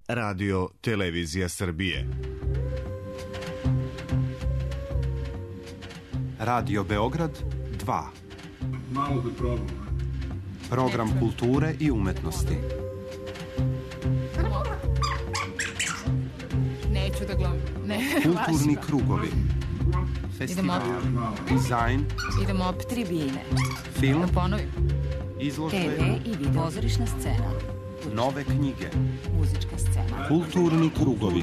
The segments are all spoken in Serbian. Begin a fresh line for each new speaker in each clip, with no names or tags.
Radio Televizija Srbije.
Radio Beograd 2.
Malo da probam.
Program kulture i umetnosti.
Neću da gledam.
Kulturni krugovi. Festival. Dizajn.
Idemo tribine.
Film.
Da ponovim.
Izložbe.
TV i video. Pozorišna scena.
Nove knjige.
Muzička scena.
Kulturni krugovi.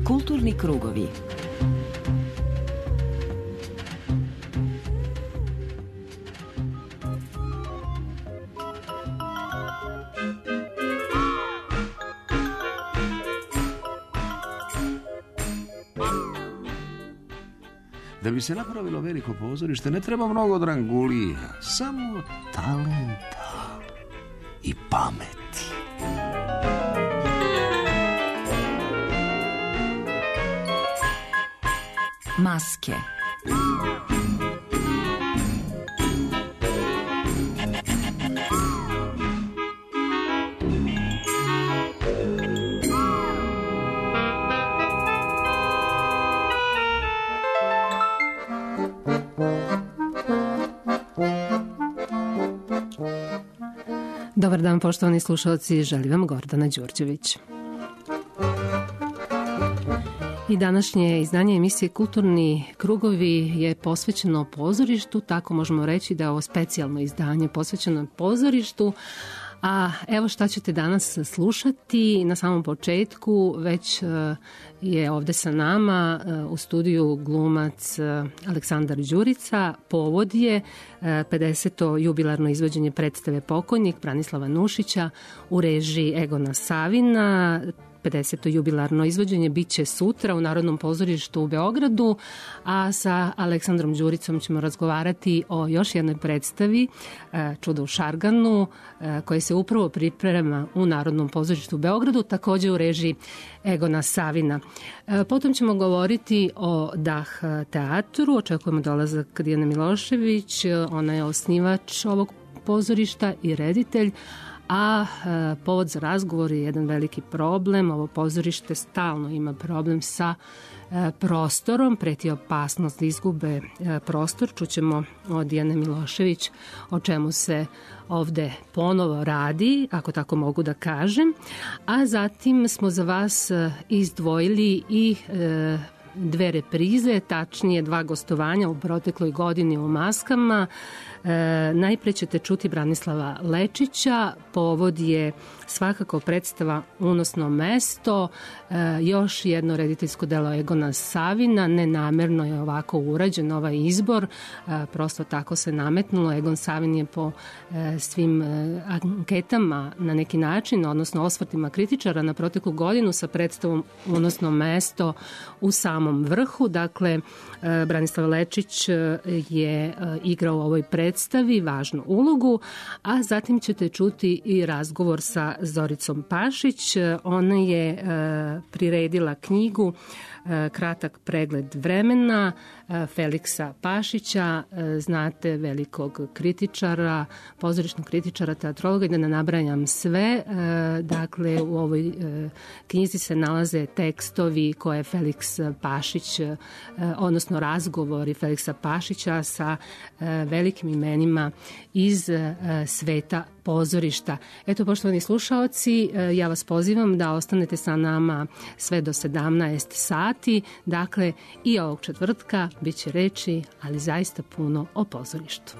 Kulturni krugovi.
Da bi se napravilo veliko pozorište ne treba mnogo drangulija, samo talenta i pameti.
Maske.
Dobar dan, poštovani slušalci, želim vam Gordana Đurđević. I današnje izdanje emisije Kulturni krugovi je posvećeno pozorištu, tako možemo reći da je ovo specijalno izdanje posvećeno pozorištu. A evo šta ćete danas slušati. Na samom početku već je ovde sa nama u studiju glumac Aleksandar Đurica. Povod je 50. jubilarno izvođenje predstave Pokojnik Branislava Nušića u režiji Egona Savina. 50. jubilarno izvođenje biće sutra u Narodnom pozorištu u Beogradu, a sa Aleksandrom Đuricom ćemo razgovarati o još jednoj predstavi Čudo u Šarganu, koje se upravo priprema u Narodnom pozorištu u Beogradu, takođe u režiji Egona Savina. Potom ćemo govoriti o Dah teatru, očekujemo dolazak Dijane Milošević, ona je osnivač ovog pozorišta i reditelj, a povod za razgovor je jedan veliki problem. Ovo pozorište stalno ima problem sa prostorom, preti opasnost da izgube prostor. Čućemo od Dijane Milošević o čemu se ovde ponovo radi, ako tako mogu da kažem. A zatim smo za vas izdvojili i dve reprize, tačnije 2 gostovanja u protekloj godini u Maskama. Najpre ćete čuti Branislava Lečića, povod je svakako predstava Unosno mesto, još jedno rediteljsko delo Egona Savina, nenamerno je ovako urađen ovaj izbor, prosto tako se nametnulo. Egon Savin je po svim anketama na neki način, odnosno osvrtima kritičara na proteklu godinu sa predstavom Unosno mesto u samom vrhu. Dakle, Branislav Lečić je igrao u ovoj predstavi važnu ulogu, a zatim ćete čuti i razgovor sa Zoricom Pašić. Ona je priredila knjigu Kratak pregled vremena Feliksa Pašića, znate, velikog kritičara, pozorišnog kritičara, teatrologa, i da ne nabrajam sve. Dakle, u ovoj knjizi se nalaze tekstovi koje Feliks Pašić, odnosno razgovori Feliksa Pašića sa velikim imenima iz sveta pozorišta. Eto, poštovani slušaoci, ja vas pozivam da ostanete sa nama sve do 17 sati. Dakle, i ovog četvrtka bit će reči, ali zaista puno o pozorištu.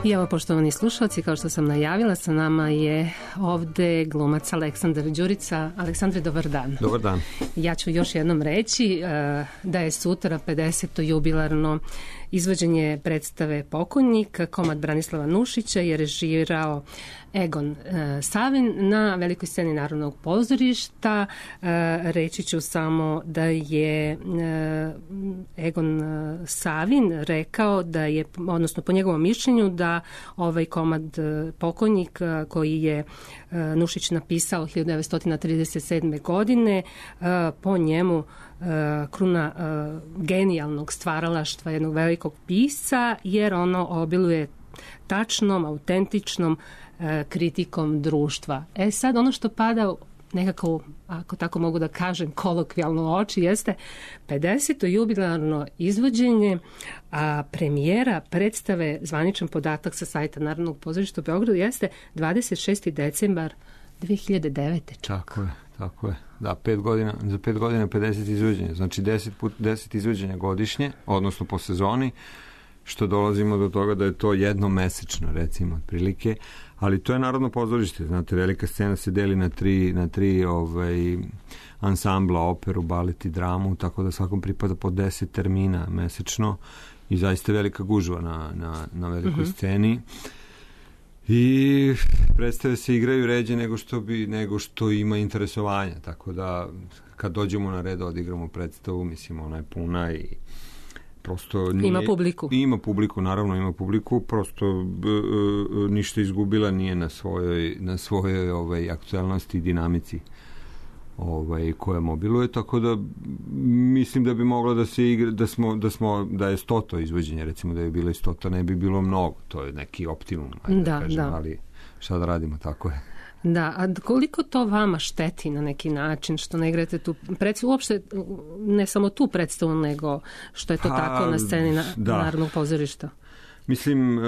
I evo, poštovani slušalci, kao što sam najavila, sa nama je ovde glumac Aleksandar Đurica. Aleksandre, dobar dan.
Dobar dan.
Ja ću još jednom reći da je sutra 50. jubilarno izvođenje predstave Pokojnik, komad Branislava Nušića je režirao Egon Savin na velikoj sceni Narodnog pozorišta. Reći ću samo da je Egon Savin rekao da je, odnosno po njegovom mišljenju, da ovaj komad Pokojnik koji je Nušić napisao 1937. godine, po njemu kruna genijalnog stvaralaštva jednog velikog pisca, jer ono obiluje tačnom, autentičnom kritikom društva. Sad ono što pada nekako, ako tako mogu da kažem, kolokvijalno u oči, jeste 50. jubilarno izvođenje, a premijera predstave, zvaničan podatak sa sajta Narodnog pozorišta u Beogradu, jeste 26. decembar 2009.
Tako je. Da, za 5 godina 50 izvođenja. Znači 10 izvođenja godišnje, odnosno po sezoni, što dolazimo do toga da je to jednomesečno, recimo, otprilike. Ali to je Narodno pozorište. Znate, velika scena se deli na tri ansambla, operu, balet i dramu, tako da svakom pripada po 10 termina mesečno i zaista velika gužva na velikoj sceni. I predstave se igraju ređe nego što ima interesovanja, tako da kad dođemo na red odigramo predstavu, mislim, ona je puna i prosto nije, ima publiku, naravno ima publiku, prosto ništa izgubila nije na svojoj aktualnosti i dinamici koja mobiluje, tako da mislim da bi mogla da se igra, da je 100 izvođenje, recimo da je bilo 100, ne bi bilo mnogo, to je neki optimum, ali šta da radimo, tako je.
Da, a koliko to vama šteti na neki način što ne igrate tu predstavu, uopšte ne samo tu predstavu, nego što je to tako na sceni Narodnog pozorišta?
Mislim,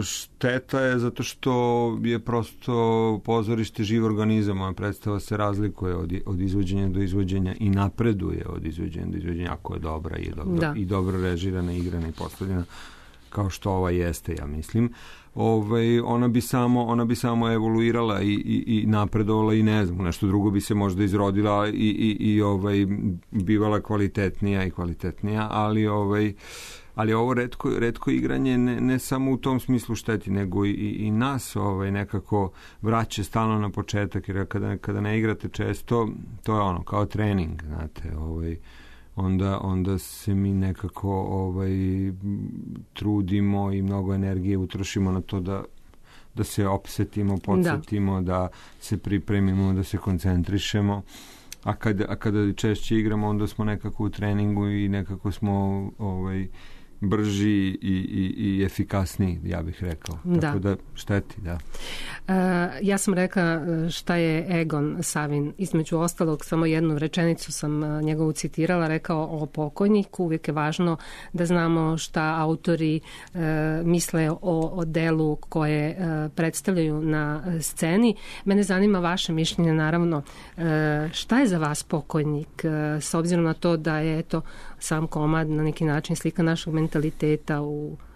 šteta je zato što je prosto pozorište živ organizam, moja predstava se razlikuje od izvođenja do izvođenja i napreduje od izvođenja do izvođenja, ako je dobra i dobro režirana, igrana i postavljena, kao što ova jeste, ja mislim. Ona bi samo evoluirala i napredovala i ne znam, nešto drugo bi se možda izrodila i bivala kvalitetnija, ali ovo retko igranje ne samo u tom smislu šteti, nego i nas nekako vraća stalno na početak, jer kada ne igrate često, to je ono kao trening, znate, onda se mi nekako trudimo i mnogo energije utrošimo na to da se opsetimo, podsjetimo, da se pripremimo, da se koncentrišemo. A kada češće igramo, onda smo nekako u treningu i nekako smo brži i efikasniji, ja bih rekao. Tako da šteti, da.
Ja sam rekla šta je Egon Savin. Između ostalog, samo jednu rečenicu sam njegovu citirala, rekao o Pokojniku. Uvijek je važno da znamo šta autori misle o delu koje predstavljaju na sceni. Mene zanima vaše mišljenje, naravno. Šta je za vas Pokojnik? S obzirom na to da je sam komad na neki način slika našeg mentaliteta,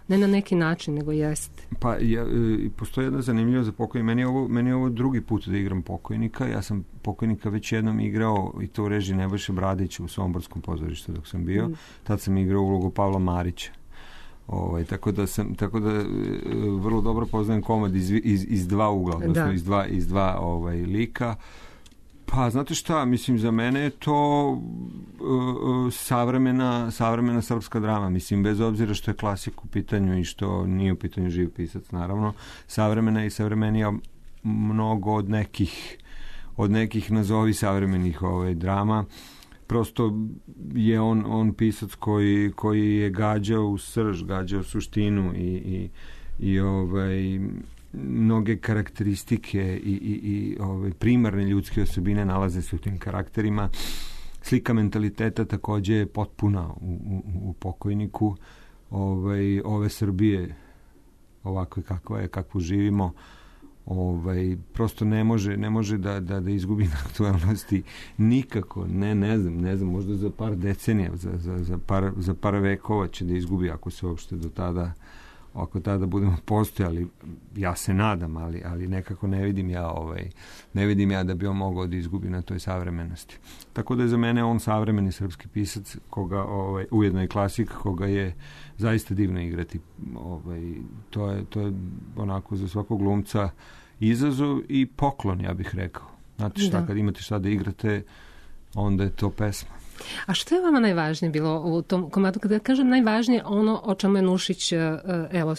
ne na neki način, nego jeste.
Pa, postoji jedna zanimljiva za Pokojnik. Meni je ovo drugi put da igram Pokojnika. Ja sam Pokojnika već jednom igrao, i to u režiji Nebojše Bradića u Somborskom pozorištu dok sam bio. Tad sam igrao ulogu Pavla Marića. Tako da vrlo dobro poznajem komad iz dva ugla, odnosno iz dva lika. Pa, znate šta, mislim, za mene je to savremena srpska drama, mislim, bez obzira što je klasik u pitanju i što nije u pitanju živ pisac, naravno, savremena i savremenija mnogo od nekih nazovi savremenih drama. Prosto je on pisac koji je gađao u srž, gađao u suštinu i mnoge karakteristike i primarne ljudske osobine nalaze se u tim karakterima. Slika mentaliteta takođe je potpuna u Pokojniku ove Srbije, ovakve kakvu živimo. prosto ne može da izgubi na aktualnosti nikako, ne znam, možda za par decenija, za par vekova će da izgubi, ako se uopšte do tada, ako tada budemo postojali. Ja se nadam, ali nekako ne vidim ja da bi on mogao da izgubi na toj savremenosti. Tako da je za mene on savremeni srpski pisac, koga ujedno je klasik, koga je zaista divno igrati. To je onako za svakog glumca izazov i poklon, ja bih rekao. Znate šta, kad imate šta da igrate, onda je to pesma.
A što je vama najvažnije bilo u tom komadu? Kada kažem najvažnije, ono o čemu je Nušić, evo,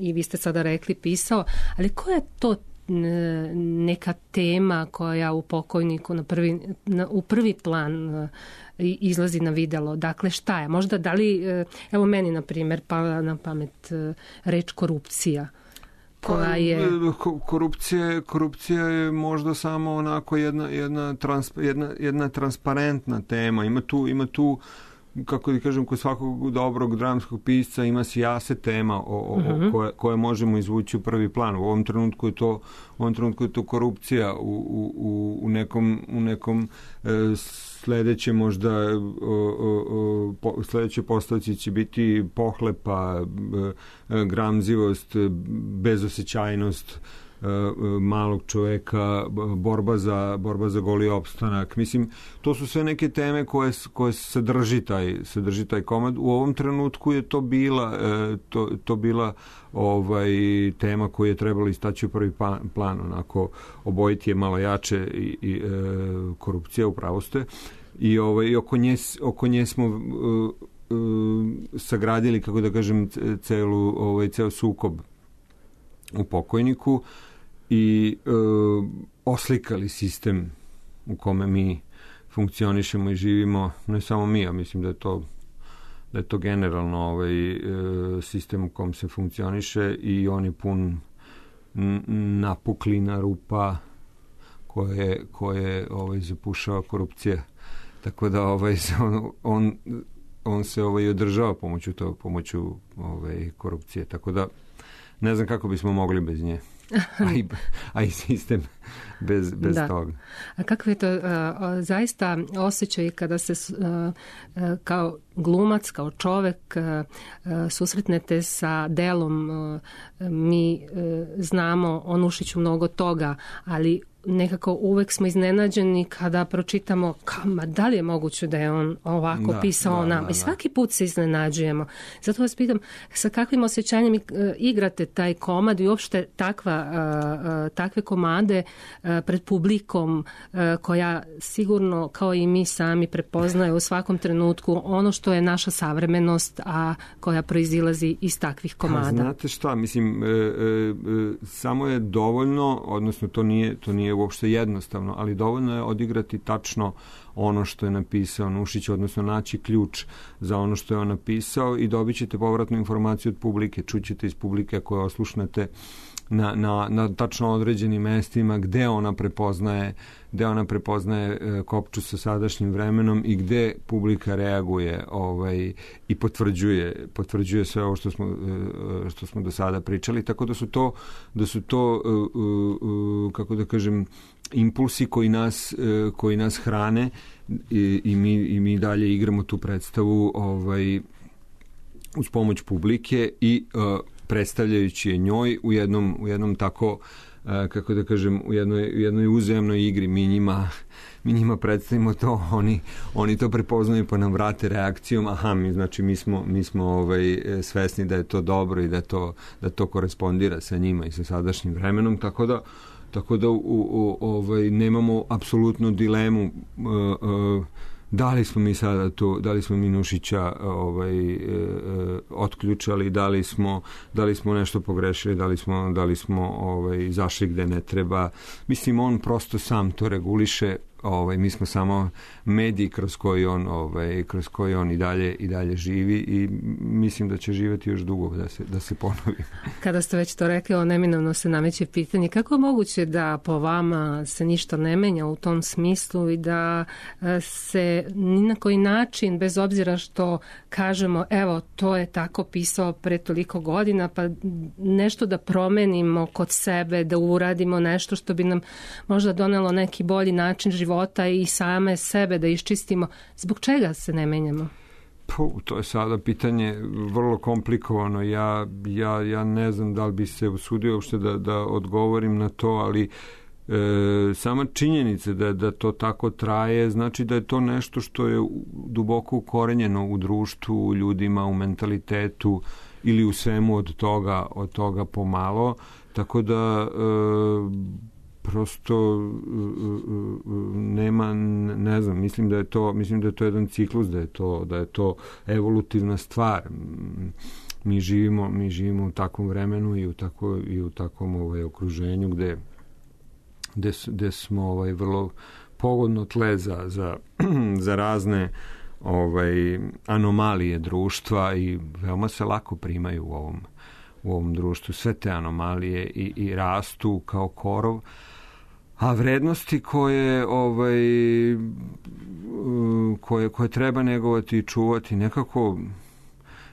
i vi ste sada rekli, pisao, ali koja je to neka tema koja u Pokojniku u prvi plan izlazi na videlo? Dakle, šta je? Možda da li, evo meni, na primjer, pala na pamet reč korupcija, koja je... Korupcija
je možda samo onako jedna transparentna tema. Ima tu, kako da kažem, kod svakog dobrog dramskog pisca ima sijase tema koje možemo izvući u prvi plan. U ovom trenutku je to korupcija u nekom sledeće možda sledeće postavci će biti pohlepa, gramzivost, bezosećajnost malog čoveka, borba za goli opstanak. Mislim, to su sve neke teme koje sadrži taj komad. U ovom trenutku je to bila tema koju je trebalo istaći u prvi plan, onako obojiti je malo jače i korupcija, upravo ste. I oko nje smo sagradili, kako da kažem, ceo sukob u Pokojniku i oslikali sistem u kome mi funkcionišemo i živimo, ne samo mi, ja mislim da je to generalno sistem u kom se funkcioniše i on je pun napuklina, rupa koje zapušava korupcija. Tako da on se održava pomoću korupcije. Tako da ne znam kako bismo mogli bez nje. A i sistem bez toga.
A kako je to zaista osjećaj kada se kao glumac, kao čovek susretnete sa delom? Mi znamo o Nušiću mnogo toga, ali nekako uvek smo iznenađeni kada pročitamo da li je moguće da je on ovako pisao nam. I svaki put se iznenađujemo. Zato vas pitam, sa kakvim osjećanjem igrate taj komad i uopšte takve komade pred publikom koja sigurno, kao i mi sami, prepoznaje u svakom trenutku ono što je naša savremenost, a koja proizilazi iz takvih komada.
Znate šta, mislim, samo je dovoljno, odnosno to nije uopšte jednostavno, ali dovoljno je odigrati tačno ono što je napisao Nušić, odnosno naći ključ za ono što je on napisao i dobit ćete povratnu informaciju od publike. Čućete iz publike koje oslušnete na tačno određenim mestima gde ona prepoznaje kopču sa sadašnjim vremenom i gde publika reaguje i potvrđuje sve ovo što smo do sada pričali, tako da su to kako da kažem, impulsi koji nas hrane i mi dalje igramo tu predstavu uz pomoć publike i predstavljajući je njoj u jednom tako, kako da kažem, u jednoj uzajamnoj igri. Mi njima predstavimo to, oni to prepoznaju pa nam vrate reakcijom, mi smo svesni da je to dobro i da to korespondira sa njima i sa sadašnjim vremenom, tako da nemamo apsolutnu dilemu da li smo mi sada tu, da li smo mi Nušića otključali, da li smo nešto pogrešili, da li smo zašli gde ne treba. Mislim, on prosto sam to reguliše mi smo samo mediji kroz koji on i dalje živi i mislim da će živjeti još dugo da se ponovi.
Kada ste već to rekli, neminovno se nameće pitanje kako je moguće da po vama se ništa ne menja u tom smislu i da se ni na koji način, bez obzira što kažemo evo to je tako pisao pre toliko godina, pa nešto da promenimo kod sebe, da uradimo nešto što bi nam možda donelo neki bolji način života i same sebe da iščistimo. Zbog čega se ne menjamo?
To je sada pitanje vrlo komplikovano. Ja ne znam da li bi se usudio uopšte da odgovorim na to, ali sama činjenica da to tako traje, znači da je to nešto što je duboko ukorenjeno u društvu, u ljudima, u mentalitetu ili u svemu od toga pomalo. Tako da prosto nema, ne znam, mislim da je to jedan ciklus, da je to evolutivna stvar. Mi živimo u takvom vremenu i u takvom okruženju gde smo vrlo pogodno tle za razne anomalije društva i veoma se lako primaju u ovom društvu. Sve te anomalije i rastu kao korov, a vrednosti koje treba negovati i čuvati nekako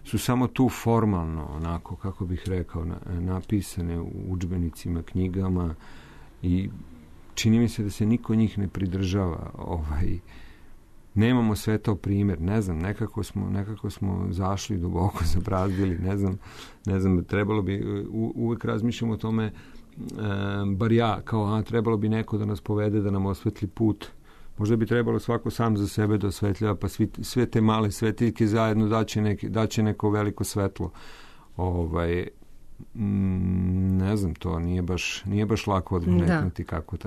su samo tu formalno, onako, kako bih rekao, napisane u udžbenicima, knjigama i čini mi se da se niko njih ne pridržava. Nemamo sve to primjer, ne znam, nekako smo zašli duboko, zabrazdili, ne znam, trebalo bi, uvek razmišljamo o tome, bar ja, kao trebalo bi neko da nas povede, da nam osvetli put. Možda bi trebalo svako sam za sebe da osvetljava, pa sve te male svetiljke zajedno daće neko veliko svetlo. Ne znam, to nije baš lako odmetnuti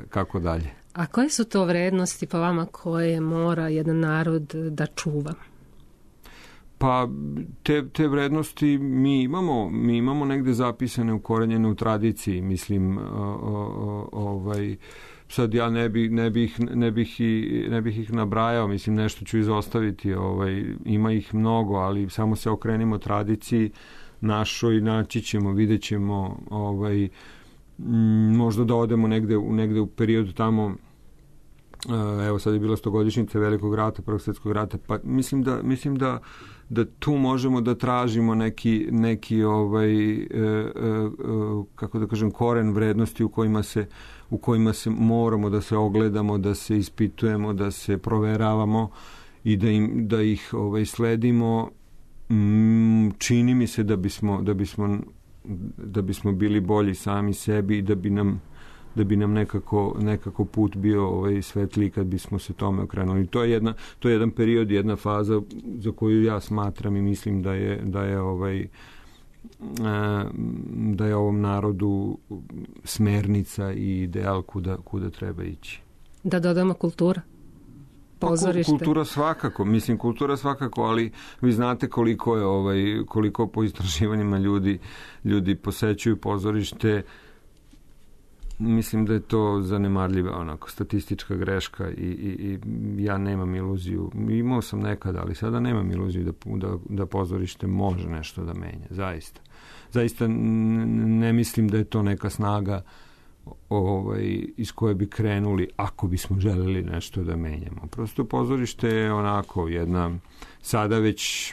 kako dalje.
A koje su to vrednosti po vama koje mora jedan narod da čuva?
Pa te vrednosti mi imamo negde zapisane, ukorenjene u tradiciji, mislim, sad ja ne bih ih nabrajao, mislim, nešto ću izostaviti, ima ih mnogo, ali samo se okrenimo tradiciji našoj, naći ćemo, vidjet ćemo, možda da odemo negde u periodu tamo, evo sad je bila 100-godišnjica Velikog rata, Prvog svjetskog rata, pa mislim da tu možemo da tražimo neki kako da kažem, koren vrednosti u kojima se moramo da se ogledamo, da se ispitujemo, da se proveravamo i da ih sledimo. Čini mi se da bismo bili bolji sami sebi i da bi nam nekako put bio svetliji kad bismo se tome okrenuli. To je jedan period, jedna faza za koju ja smatram i mislim da je ovom narodu smernica i ideal kuda treba ići. Da
dodamo kultura? Pozorište.
Kultura svakako, ali vi znate koliko po istraživanjima ljudi posećuju pozorište. Mislim da je to zanemarljiva statistička greška i ja nemam iluziju. Imao sam nekada, ali sada nemam iluziju da pozorište može nešto da menja. Zaista ne mislim da je to neka snaga iz koje bi krenuli ako bismo želeli nešto da menjamo. Prosto pozorište je onako jedna, sada već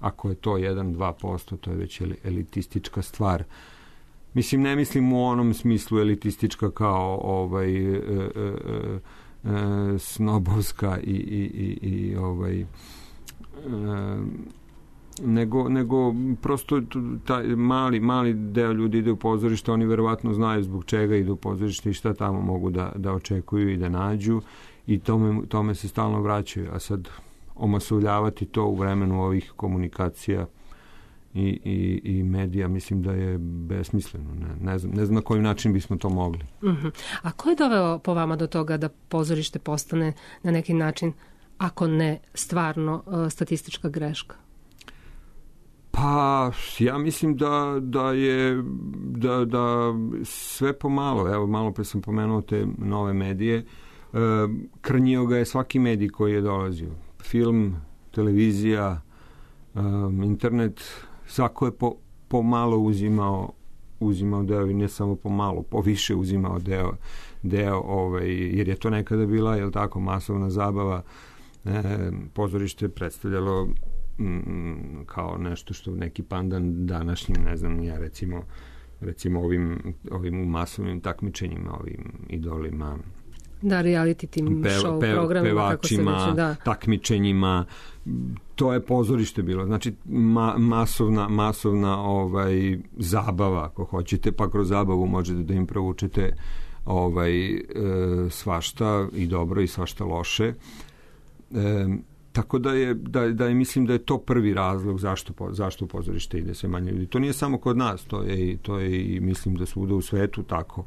ako je to 1-2%, to je već elitistička stvar. Mislim, ne mislim u onom smislu elitistička kao snobovska i nego prosto taj mali deo ljudi ide u pozorište, oni verovatno znaju zbog čega idu u pozorište i šta tamo mogu da očekuju i da nađu i tome se stalno vraćaju. A sad omasovljavati to u vremenu ovih komunikacija i medija, mislim da je besmisleno. Ne znam na koji način bismo to mogli.
Uh-huh. A ko je doveo po vama do toga da pozorište postane na neki način, ako ne stvarno, statistička greška?
Pa Pa ja mislim da je da sve pomalo, evo malo pre sam pomenuo te nove medije, krnjio ga je svaki medij koji je dolazio. Film, televizija, internet, svako je pomalo uzimao deo i ne samo pomalo, poviše uzimao deo jer je to nekada bila, jel tako, masovna zabava. Pozorište predstavljalo kao nešto što neki pandan današnjim, ne znam, ja recimo ovim masovnim takmičenjima, ovim idolima,
da, reality tim show programima,
pevačima, takmičenjima, to je pozorište bilo. Znači masovna zabava, ako hoćete, pa kroz zabavu možete da im provučete svašta i dobro i svašta loše. Tako da mislim da je to prvi razlog zašto u pozorište ide sve manje ljudi. To nije samo kod nas, to je i mislim da svuda u svetu tako.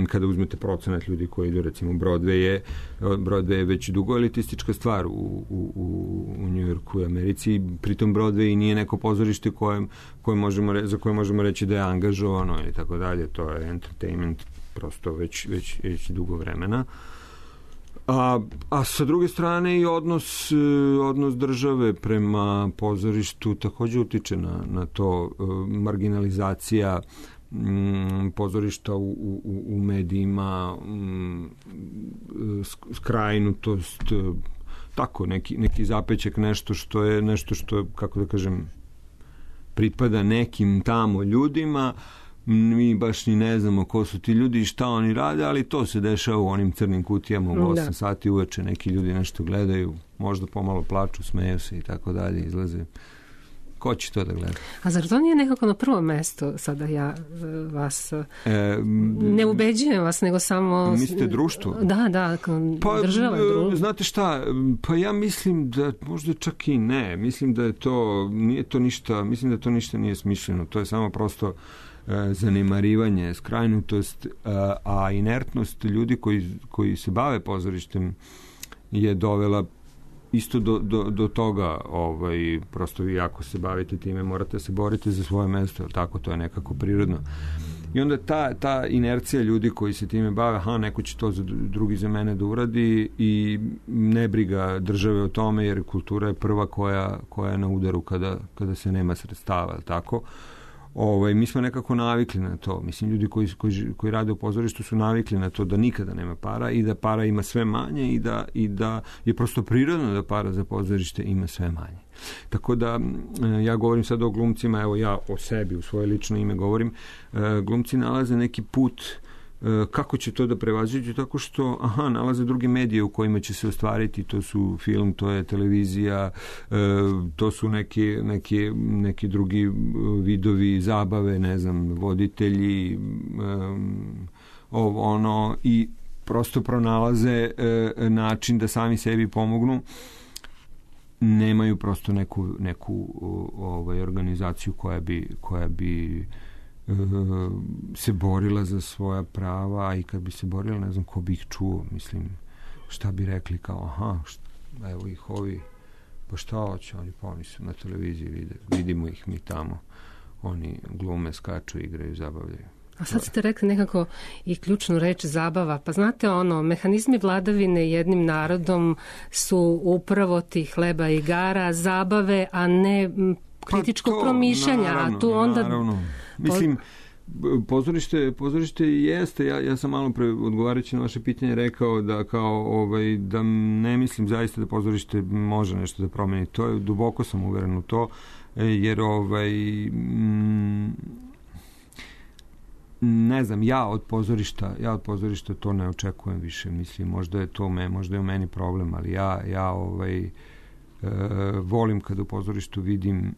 Kada uzmete procenat ljudi koji idu, recimo Broadway je već dugo elitistička stvar u Njujorku i Americi, pritom Broadway nije neko pozorište za koje možemo reći da je angažovano ili tako dalje, to je entertainment prosto već dugo vremena. A sa druge strane i odnos države prema pozorištu takođe utiče na to, marginalizacija pozorišta u medijima, skrajnutost, tako neki zapećak, nešto što je, kako da kažem, pripada nekim tamo ljudima. Mi baš ni ne znamo ko su ti ljudi i šta oni rade, ali to se dešava u onim crnim kutijama u 8 sati uveče, neki ljudi nešto gledaju, možda pomalo plaču, smeju se i tako dalje, izlaze. Ko će to da gleda? A
zar to nije nekako na prvo mesto sada ja vas ne ubeđujem vas, nego samo...
Mislite društvo?
Da, država.
Znate šta, pa ja mislim da možda čak i ne. Mislim da nije to ništa, mislim da to ništa nije smišljeno. To je samo prosto zanemarivanje, skrajnutost, a inertnost ljudi koji se bave pozorištem je dovela isto do toga, prosto vi ako se bavite time morate se boriti za svoje mesto, tako, to je nekako prirodno. I onda ta inercija ljudi koji se time bave, neko će to drugi za mene da uradi i ne briga države o tome, jer kultura je prva koja je na udaru kada se nema sredstava, tako. Mi smo nekako navikli na to. Mislim, ljudi koji rade u pozorištu su navikli na to da nikada nema para i da para ima sve manje i da je prosto prirodno da para za pozorište ima sve manje. Tako da, ja govorim sad o glumcima, evo ja o sebi, u svoje lično ime govorim, glumci nalaze neki put kako će to da prevaziđu, tako što nalaze druge medije u kojima će se ostvariti, to su film, to je televizija, to su neki drugi vidovi zabave, ne znam, voditelji, i prosto pronalaze način da sami sebi pomognu. Nemaju prosto neku organizaciju koja bi se borila za svoja prava, i kad bi se borila, ne znam ko bi ih čuo, mislim, šta bi rekli kao, evo ih ovi, pa šta hoće, oni su na televiziji, vidimo ih mi tamo, oni glume, skaču, igraju, zabavljaju.
A sad ste rekli nekako i ključnu reč zabava. Pa znate mehanizmi vladavine jednim narodom su upravo ti hleba i igara, zabave, a ne kritičkog promišljanja.
Naravno. Mislim, pozorište jeste, ja sam malo pre odgovarajući na vaše pitanje rekao da da ne mislim zaista da pozorište može nešto da promeni. To je, duboko sam uveren u to, jer ne znam, ja od pozorišta to ne očekujem više, mislim, možda je u meni problem, ali ja volim kada u pozorištu vidim,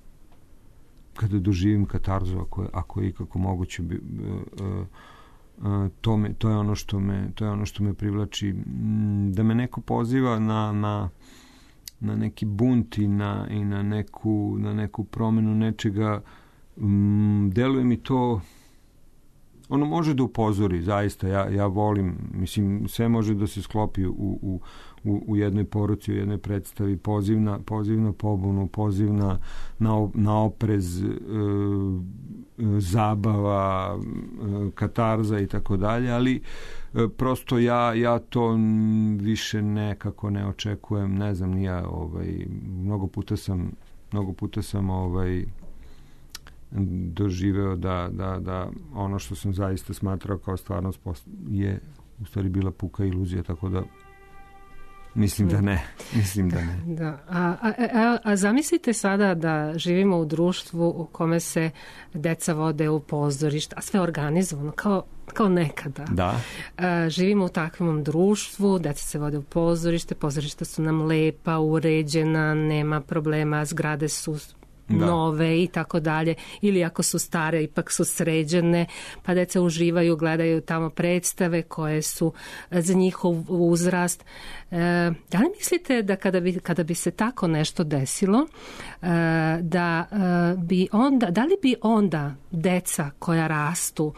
kada doživim katarzu, ako je ikako moguće, to je ono što me privlači, da me neko poziva na neki bunt i na neku promenu nečega. Deluje mi to ono može da upozori, zaista, ja volim, mislim, sve može da se sklopi u jednoj poruci, u jednoj predstavi, poziv na pobunu, poziv na oprez, zabava, katarza i tako dalje, ali prosto ja to više nekako ne očekujem, ne znam, nija, mnogo puta sam doživeo da ono što sam zaista smatrao kao stvarnost je u stvari bila puka iluzija, tako da mislim da ne.
Da. A zamislite sada da živimo u društvu u kome se deca vode u pozorište, a sve organizovano, kao nekada.
Da.
Živimo u takvom društvu, deca se vode u pozorište, pozorišta su nam lepa, uređena, nema problema, zgrade su nove i tako dalje, ili ako su stare ipak su sređene, pa deca uživaju, gledaju tamo predstave koje su za njihov uzrast. Da li mislite da kada bi se tako nešto desilo, da li bi onda deca koja rastu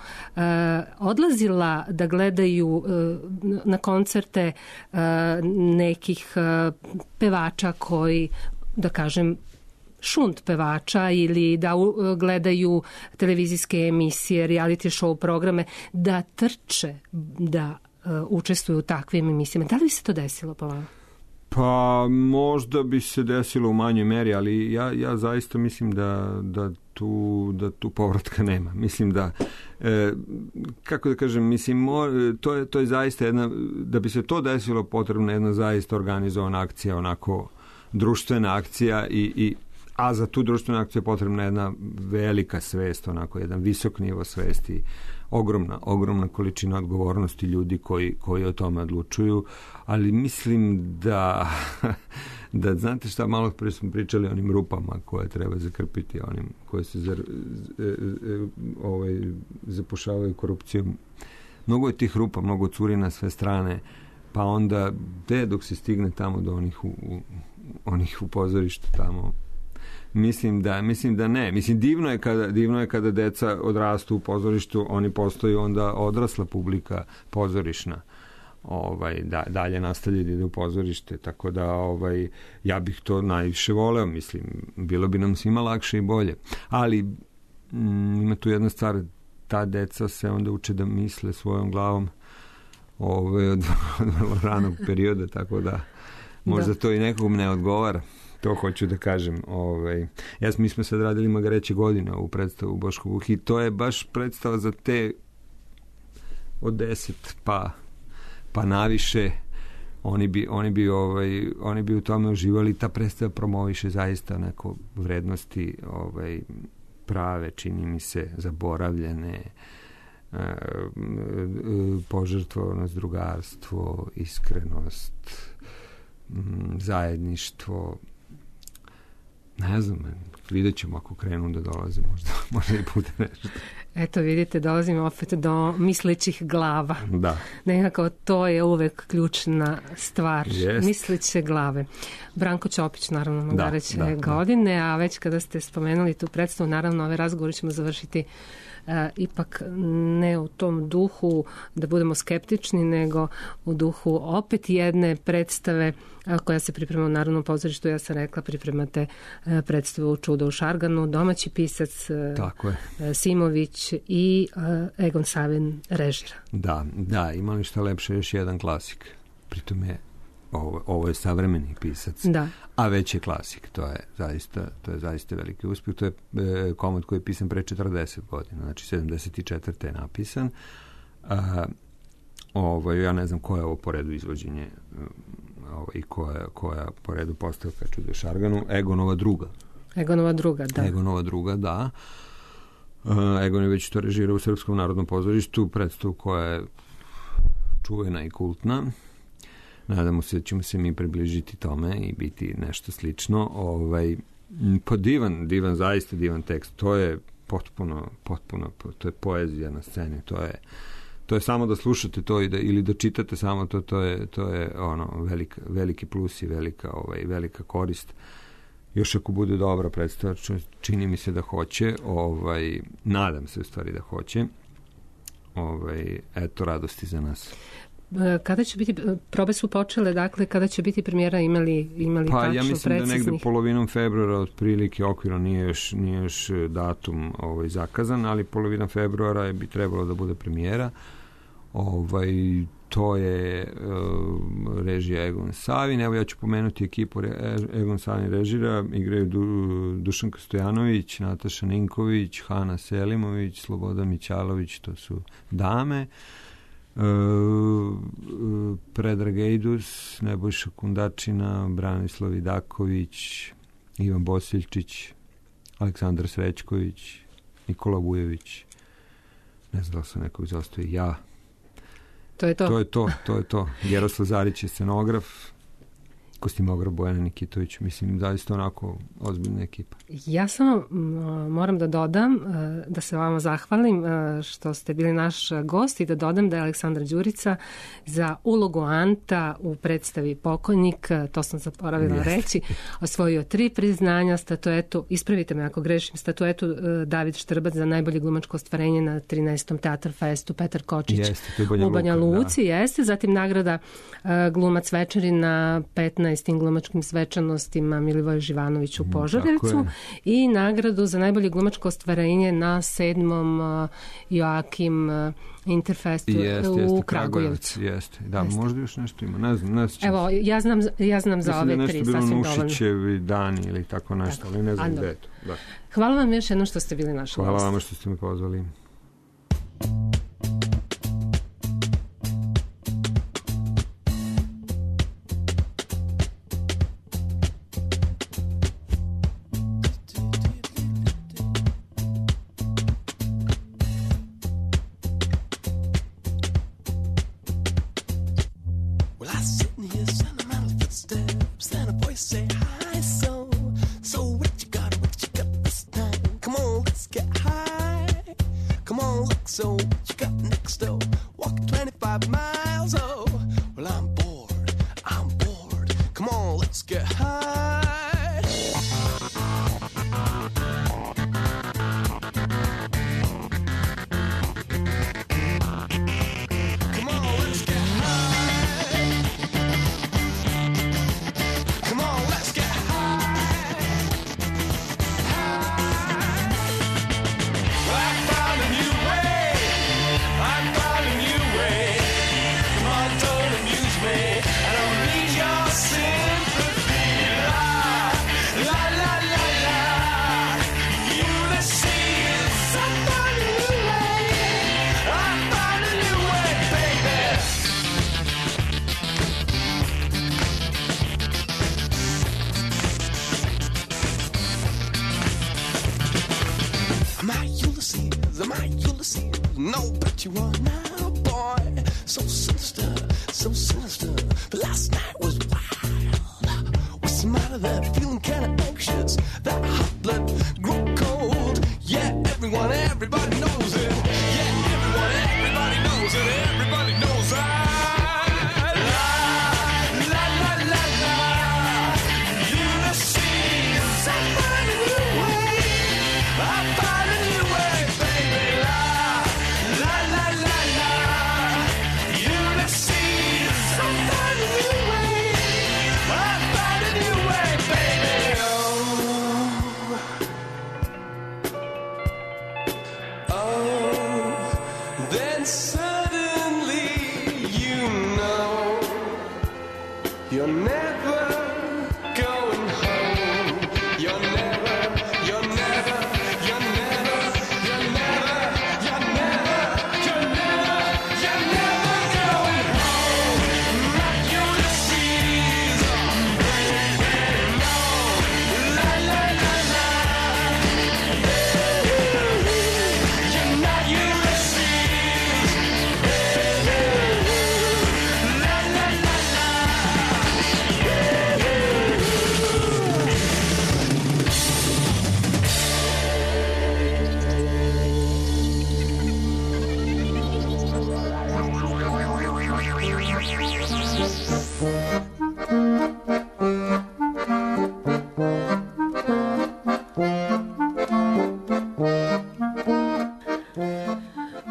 odlazila da gledaju na koncerte nekih pevača koji, da kažem, šunt pevača, ili da gledaju televizijske emisije, reality show programe, da trče, da učestvuju u takvim emisijama. Da li bi se to desilo po vama?
Pa možda bi se desilo u manjoj meri, ali ja zaista mislim da tu povratka nema. Mislim da, kako da kažem, mislim, to je zaista jedna, da bi se to desilo, potrebna jedna zaista organizovana akcija, onako društvena akcija, a za tu društvenu akciju je potrebna jedna velika svest, onako jedan visok nivo svesti, ogromna količina odgovornosti ljudi koji o tome odlučuju, ali mislim da znate šta, malo prije smo pričali o onim rupama koje treba zakrpiti, onim koje se zapušavaju korupcijom. Mnogo je tih rupa, mnogo curi na sve strane, pa onda dok se stigne tamo do onih u pozorištu tamo, mislim da ne. Mislim, divno je kada deca odrastu u pozorištu, oni postaju onda odrasla publika pozorišna. Dalje nastavljaju da ide u pozorište, tako da ja bih to najviše voleo, mislim, bilo bi nam svima lakše i bolje. Ali ima tu jedna stvar, ta deca se onda uče da misle svojom glavom od vrlo ranog perioda, tako da možda to i nekom ne odgovara. To hoću da kažem. Mi smo sad radili Magareće godine u predstavu Boško Buh i to je baš predstava za te od 10 pa naviše. Oni bi u tome uživali. Ta predstava promoviše zaista neko vrednosti prave, čini mi se, zaboravljene, požrtvovanost, drugarstvo, iskrenost, zajedništvo. Ne znam, vidjet ćemo ako krenu da dolazi, možda i bude nešto.
Eto, vidite, dolazimo opet do mislećih glava.
Da.
Nekako to je uvek ključna stvar.
Jest.
Misleće glave. Branko Ćopić, naravno, Magareće godine, a već kada ste spomenuli tu predstavu, naravno, ove razgovore ćemo završiti ipak ne u tom duhu da budemo skeptični, nego u duhu opet jedne predstave koja se priprema u Narodnom pozorištu. Ja sam rekla, pripremate predstavu Čudo u Šarganu, domaći pisac Simović i Egon Savin režira.
Da, imali šta lepše, još jedan klasik. Pritom je ovo je savremeni pisac, a već je klasik. To je zaista veliki uspjeh. To je komad koji je pisan pre 40 godina, znači 74. je napisan. Ja ne znam koja je ovo po redu izvođenje i koja po redu postavka Čudo u Šarganu. Egonova druga, da. Egon je već to režirao u Srpskom narodnom pozorištu, predstavu koja je čuvena i kultna. Nadamo se da ćemo se mi približiti tome i biti nešto slično. Pa divan, zaista divan tekst. To je potpuno, to je poezija na sceni. To je samo da slušate to ili da čitate samo to, to je veliki plus i velika korist. Još ako bude dobra predstava, čini mi se da hoće, nadam se u stvari da hoće. eto radosti za nas.
Kada će biti, probe su počele, dakle, kada će biti premijera, imali
Pa
tačno
ja mislim
preciznih?
da negde polovinom februara otprilike okvirno nije još datum zakazan, ali polovinom februara bi trebalo da bude premijera. To je režija Egon Savin. Evo ja ću pomenuti ekipu Egon Savin režira. Igraju Dušanka Stojanović, Nataša Ninković, Hana Selimović, Sloboda Mićalović, to su dame. Predrag Ejdus, Nebojša Kundačina, Branislav Vidaković, Ivan Bosiljčić, Aleksandar Srećković, Nikola Vujević. Ne znam da se nekog zastoji. Ja.
To je
to. Jeroslav Zarić je scenograf, kostimograf Bojana Nikitović. Mislim, zaista onako ozbiljna ekipa.
Ja samo moram da dodam, da se vama zahvalim što ste bili naš gost i da dodam da je Aleksandar Đurica za ulogu Anta u predstavi Pokojnik, to sam zaboravila reći, osvojio 3 priznanja, statuetu, ispravite me ako grešim, statuetu David Štrbac za najbolje glumačko ostvarenje na 13. Teatr Festu Petar Kočić u Banja Luci, jeste, zatim nagrada glumac večeri na 15. glumačkim svečanostima Milivoje Živanović u Požarevcu i nagradu za najbolje glumačko ostvarenje na 7. Joakim Interfestu u Kragujevcu.
Jeste. Da, možda još nešto ima. Ne znam.
Evo, ja znam za ove 3 sasvim dovoljno. Mislim da je nešto bilo
Nušićevi dani ili tako nešto, ali ne znam gde je to. Da.
Hvala vam još jedno što ste bili naš gost.
Hvala vam što ste me pozvali.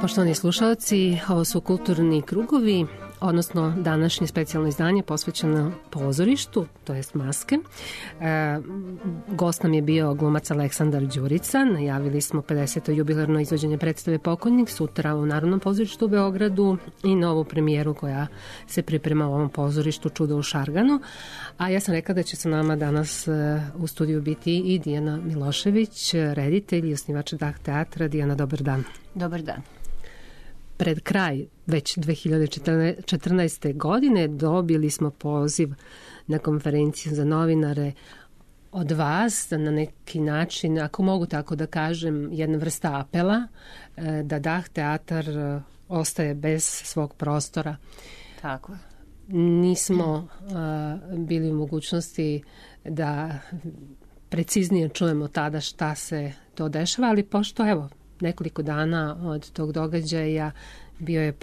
Poštovani slušalci, ovo su kulturni krugovi, odnosno današnje specijalno izdanje posvećeno pozorištu, to jest Maske. Gost nam je bio glumac Aleksandar Đurica. Najavili smo 50. jubilarno izvođenje predstave Pokojnik sutra u Narodnom pozorištu u Beogradu i novu premijeru koja se priprema u ovom pozorištu Čudo u Šarganu. A ja sam rekla da će sa nama danas u studiju biti i Dijana Milošević, reditelj i osnivač Dah teatra. Dijana, dobar dan.
Dobar dan.
Pred kraj već 2014. godine dobili smo poziv na konferenciju za novinare od vas, da na neki način, ako mogu tako da kažem, jedna vrsta apela da Dah teatar ostaje bez svog prostora.
Tako je.
Nismo bili u mogućnosti da preciznije čujemo tada šta se to dešava, ali pošto evo nekoliko dana od tog događaja bio je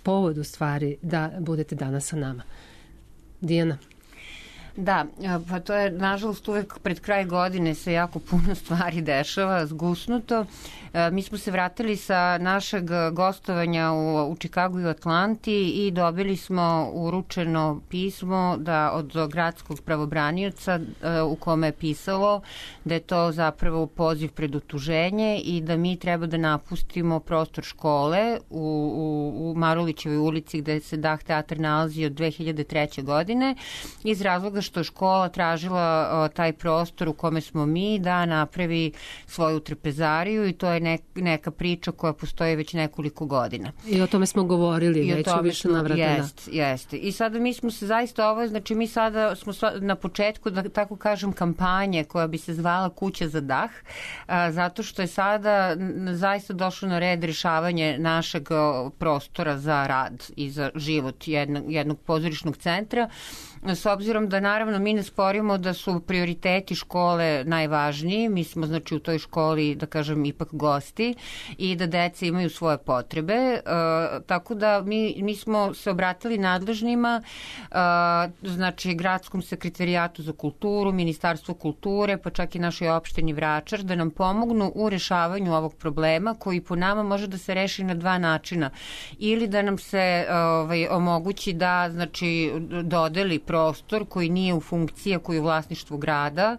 povod u stvari da budete danas sa nama. Dijana.
Da, pa to je nažalost uvek pred kraj godine se jako puno stvari dešava, zgusnuto. Mi smo se vratili sa našeg gostovanja u Čikagu i Atlanti i dobili smo uručeno pismo od gradskog pravobranioca u kome je pisalo da je to zapravo poziv pred utuženje i da mi treba da napustimo prostor škole u Marulićevoj ulici gde se Dah teatar nalazi od 2003. godine iz razloga što je škola tražila taj prostor u kome smo mi da napravi svoju trpezariju i to je neka priča koja postoji već nekoliko godina.
I o tome smo govorili već u više navrata.
Jeste. I sada mi smo se zaista znači mi sada smo na početku, da tako kažem, kampanje koja bi se zvala Kuća za dah, zato što je sada zaista došlo na red rešavanje našeg prostora za rad i za život jednog pozorišnog centra. S obzirom da naravno mi ne sporimo da su prioriteti škole najvažniji, mi smo znači u toj školi, da kažem, ipak gosti i da deca imaju svoje potrebe, tako da mi smo se obratili nadležnima, znači Gradskom sekretarijatu za kulturu, Ministarstvu kulture, pa čak i našoj opštini Vračar, da nam pomognu u rešavanju ovog problema koji po nama može da se reši na dva načina. Ili da nam se omogući da znači dodeli prostor koji nije u funkciji, koji je u vlasništvu grada,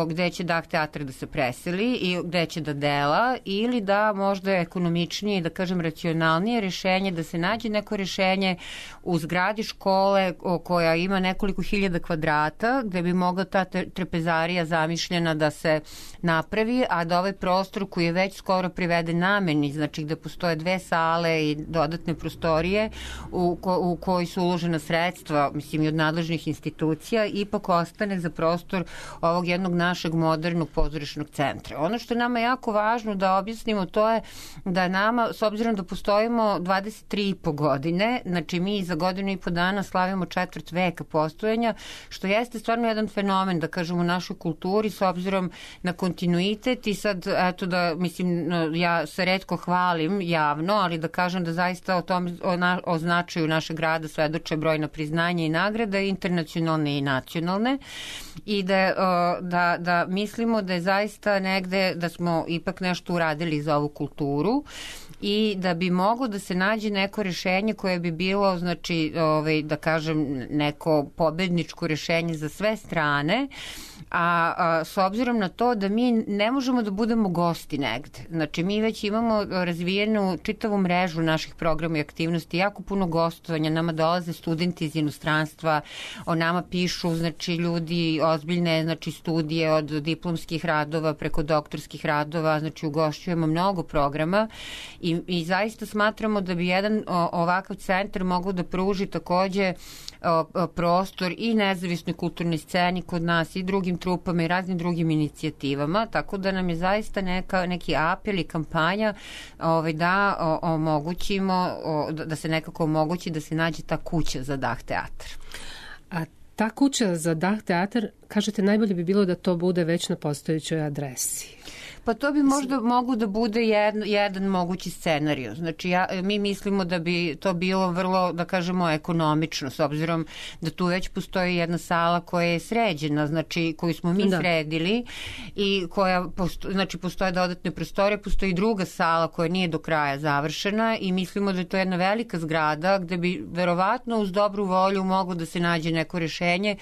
gde će Dah teatar da se preseli i gde će da dela, ili da možda je ekonomičnije, da kažem racionalnije rešenje, da se nađe neko rešenje u zgradi škole koja ima nekoliko hiljada kvadrata, gde bi mogla ta trpezarija zamišljena da se napravi, a da ovaj prostor koji je već skoro priveden nameni, znači gde postoje 2 sale i dodatne prostorije u koji su uložena sredstva, mislim i od nadležnih institucija, ipak ostane za prostor ovog jednog našeg modernog pozorišnog centra. Ono što je nama jako važno da objasnimo, to je da nama, s obzirom da postojimo 23,5 godine, znači mi za godinu i po dana slavimo 4 veka postojanja, što jeste stvarno jedan fenomen, da kažem, u našoj kulturi, s obzirom na kontinuitet i sad, eto da, mislim, ja se retko hvalim javno, ali da kažem da zaista o značaju našeg grada svedoče brojna priznanja i nagrada, internacionalne i nacionalne, i da mislimo da je zaista negde da smo ipak nešto uradili za ovu kulturu i da bi moglo da se nađe neko rešenje koje bi bilo, znači, da kažem, neko pobedničko rešenje za sve strane, a s obzirom na to da mi ne možemo da budemo gosti negde. Znači, mi već imamo razvijenu čitavu mrežu naših programa i aktivnosti, jako puno gostovanja, nama dolaze studenti iz inostranstva, o nama pišu, znači, ljudi ozbiljne, znači, studije od diplomskih radova preko doktorskih radova, znači, ugošćujemo mnogo programa i zaista smatramo da bi jedan ovakav centar mogao da pruži takođe prostor i nezavisnoj kulturnoj sceni kod nas i drugim trupama i raznim drugim inicijativama, tako da nam je zaista neki apel i kampanja da omogućimo, da se nekako omogući da se nađe ta kuća za Dah teatar.
A ta kuća za Dah teatar, kažete, najbolje bi bilo da to bude već na postojećoj adresi.
Pa to bi možda mogu da bude jedan mogući scenarij. Znači, mi mislimo da bi to bilo vrlo, da kažemo, ekonomično, s obzirom da tu već postoji jedna sala koja je sređena, znači koju smo mi sredili i koja, znači, postoje dodatne prostore, postoji druga sala koja nije do kraja završena i mislimo da je to jedna velika zgrada gde bi verovatno uz dobru volju moglo da se nađe neko rešenje.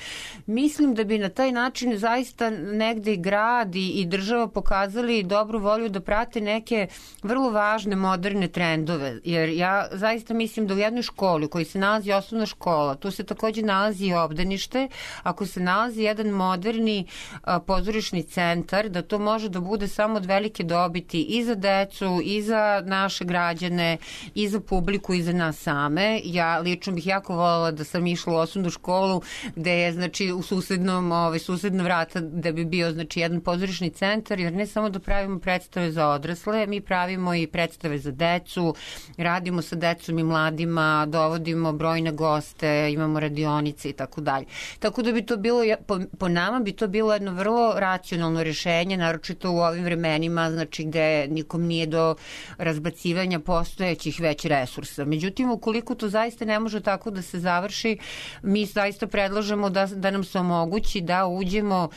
Mislim da bi na taj način zaista negde i grad i država pokazali dobru volju da prate neke vrlo važne moderne trendove, jer ja zaista mislim da u jednoj školi u kojoj se nalazi osnovna škola, tu se takođe nalazi i obdanište, ako se nalazi jedan moderni pozorišni centar, da to može da bude samo od velike dobiti i za decu, i za naše građane, i za publiku, i za nas same. Ja lično bih jako voljela da sam išla u osnovnu školu gde je, znači, u susedna vrata da bi bio, znači, jedan pozorišni centar, jer ne samo da pravimo predstave za odrasle, mi pravimo i predstave za decu, radimo sa decom i mladima, dovodimo brojne goste, imamo radionice i tako dalje. Tako da bi to bilo, po nama bi to bilo jedno vrlo racionalno rešenje, naročito u ovim vremenima, znači gde nikom nije do razbacivanja postojećih već resursa. Međutim, ukoliko to zaista ne može tako da se završi, mi zaista predlažemo da nam se omogući da uđemo,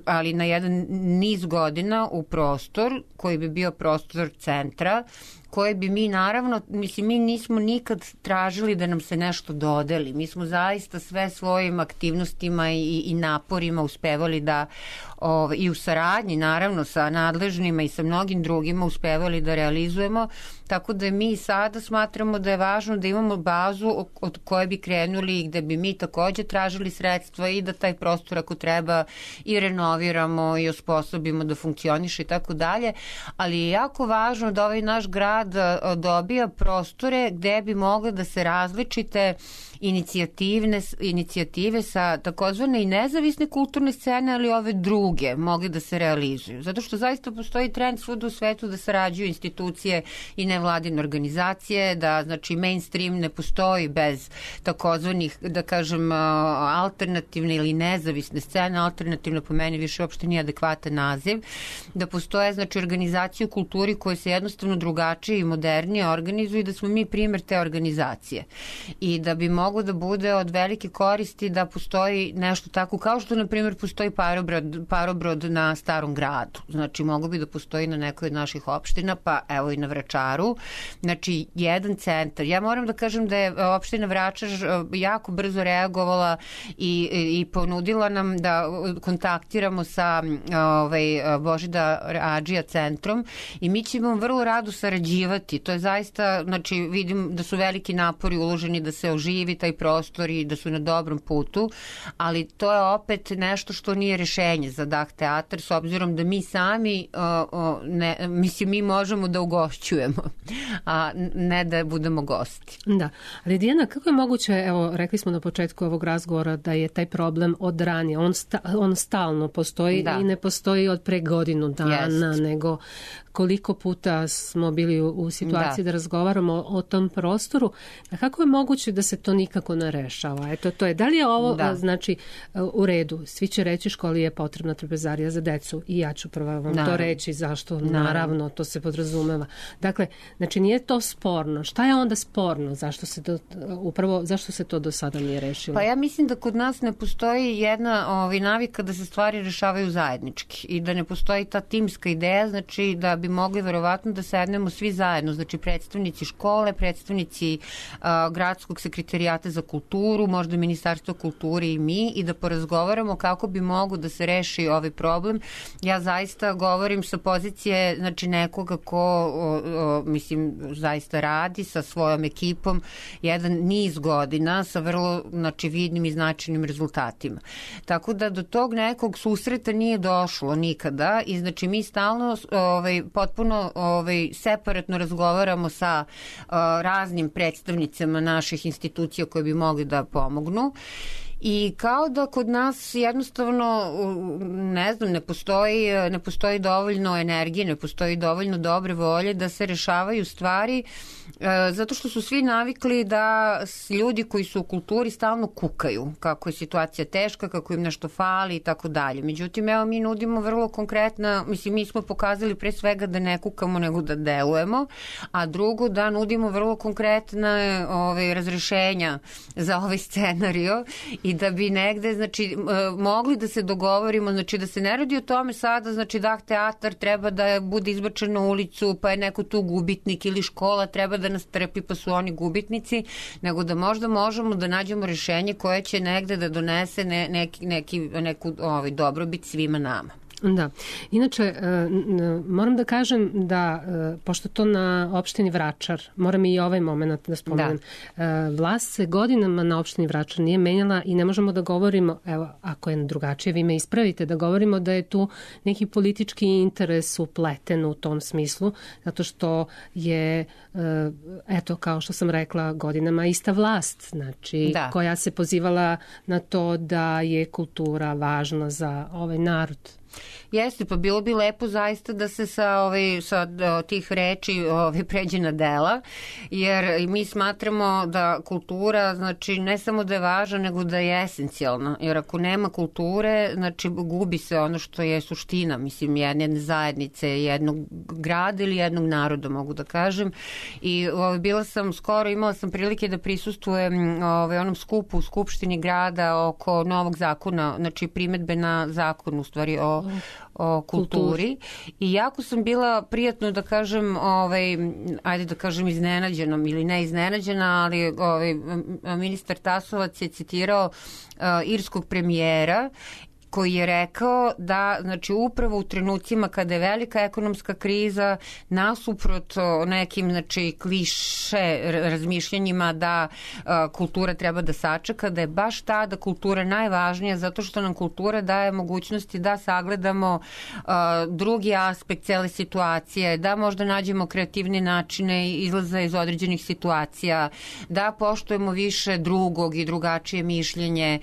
ali na jedan niz godina u prostor koji bi bio prostor centra, koje bi mi naravno, mislim, mi nismo nikad tražili da nam se nešto dodeli. Mi smo zaista sve svojim aktivnostima i naporima uspevali da, i u saradnji naravno sa nadležnima i sa mnogim drugima uspevali da realizujemo, tako da mi sada smatramo da je važno da imamo bazu od koje bi krenuli i gde bi mi takođe tražili sredstva i da taj prostor ako treba i renoviramo i osposobimo da funkcioniše i tako dalje, ali je jako važno da ovaj naš grad dobija prostore gde bi mogle da se različite inicijative sa takozvane i nezavisne kulturne scene, ali ove druge mogli da se realizuju. Zato što zaista postoji trend svuda u svetu da sarađuju institucije i nevladine organizacije, da, znači, mainstream ne postoji bez takozvanih, da kažem, alternativne ili nezavisne scene. Alternativno po meni više uopšte nije adekvatan naziv. Da postoje, znači, organizacije u kulturi koje se jednostavno drugačije i modernije organizuju i da smo mi primer te organizacije. I da bi moglo da bude od velike koristi da postoji nešto tako, kao što, na primjer, postoji parobrod na Starom gradu. Znači, moglo bi da postoji na nekoj od naših opština, pa evo i na Vračaru. Znači, jedan centar. Ja moram da kažem da je opština Vračar jako brzo reagovala i ponudila nam da kontaktiramo sa Božidar Adžija centrom i mi ćemo vrlo rado sarađivati. To je zaista, znači, vidim da su veliki napori uloženi da se oživi taj prostor i da su na dobrom putu, ali to je opet nešto što nije rešenje za Dah teatar, s obzirom da mi sami mislim, mi možemo da ugošćujemo, a ne da budemo gosti.
Da. Ali Dijana, kako je moguće, evo, rekli smo na početku ovog razgovora da je taj problem od ranije, on stalno postoji i ne postoji od pre godinu dana, nego koliko puta smo bili u situaciji da razgovaramo o tom prostoru. A kako je moguće da se to nikako ne rešava? Eto, to je. Da li je ovo, znači, u redu? Svi će reći školi je potrebna trpezarija za decu i ja ću prva vam to reći zašto. Naravno, to se podrazumeva. Dakle, znači, nije to sporno. Šta je onda sporno? Zašto se to do sada nije rešilo?
Pa ja mislim da kod nas ne postoji jedna navika da se stvari rešavaju zajednički i da ne postoji ta timska ideja, znači da bi mogli verovatno da sednemo svi zajedno, znači predstavnici škole, predstavnici gradskog sekretarijata za kulturu, možda Ministarstvo kulture i mi, i da porazgovaramo kako bi mogo da se reši ovaj problem. Ja zaista govorim sa pozicije, znači, nekoga ko mislim, zaista radi sa svojom ekipom jedan niz godina sa vrlo, znači, vidnim i značajnim rezultatima. Tako da do tog nekog susreta nije došlo nikada i, znači, mi stalno potpuno separatno razgovaramo sa raznim predstavnicama naših institucija koje bi mogli da pomognu I kao da kod nas jednostavno, ne znam, ne postoji dovoljno energije, ne postoji dovoljno dobre volje da se rešavaju stvari, zato što su svi navikli da ljudi koji su u kulturi stalno kukaju, kako je situacija teška, kako im nešto fali i tako dalje. Međutim, evo, mi nudimo vrlo konkretna, mislim, mi smo pokazali pre svega da ne kukamo nego da delujemo, a drugo da nudimo vrlo konkretne razrešenja za ovaj scenario i da bi negde, znači, mogli da se dogovorimo, znači da se ne radi o tome sada, znači teatar treba da bude izbačen na ulicu, pa je neko tu gubitnik, ili škola treba da nas trpi pa su oni gubitnici, nego da možda možemo da nađemo rešenje koje će negde da donese neku dobrobit svima nama.
Da. Inače, moram da kažem da, pošto to na opštini Vračar, moram i ovaj moment da spomenem, vlast se godinama na opštini Vračar nije menjala i ne možemo da govorimo, evo, ako je drugačije, vi me ispravite, da govorimo da je tu neki politički interes upleten u tom smislu, zato što je, eto, kao što sam rekla, godinama ista vlast, znači, koja se pozivala na to da je kultura važna za ovaj narod.
Jeste, pa bilo bi lepo zaista da se sa tih reči pređe na dela, jer mi smatramo da kultura, znači, ne samo da je važna, nego da je esencijalna, jer ako nema kulture, znači, gubi se ono što je suština, mislim, jedne zajednice, jednog grada ili jednog naroda, mogu da kažem. I imala sam prilike da prisustvujem onom skupu u Skupštini grada oko novog zakona, znači primedbe na zakon, u stvari, o kulturi, i jako sam bila prijatno da kažem, ajde da kažem iznenađenom ili ne iznenađena, ali ministar Tasovac je citirao irskog premijera koji je rekao da, znači, upravo u trenucima kada je velika ekonomska kriza, nasuprot nekim, znači, kliše razmišljanjima da kultura treba da sačeka, da je baš tada kultura najvažnija, zato što nam kultura daje mogućnosti da sagledamo drugi aspekt cele situacije, da možda nađemo kreativne načine izlaza iz određenih situacija, da poštujemo više drugog i drugačije mišljenje,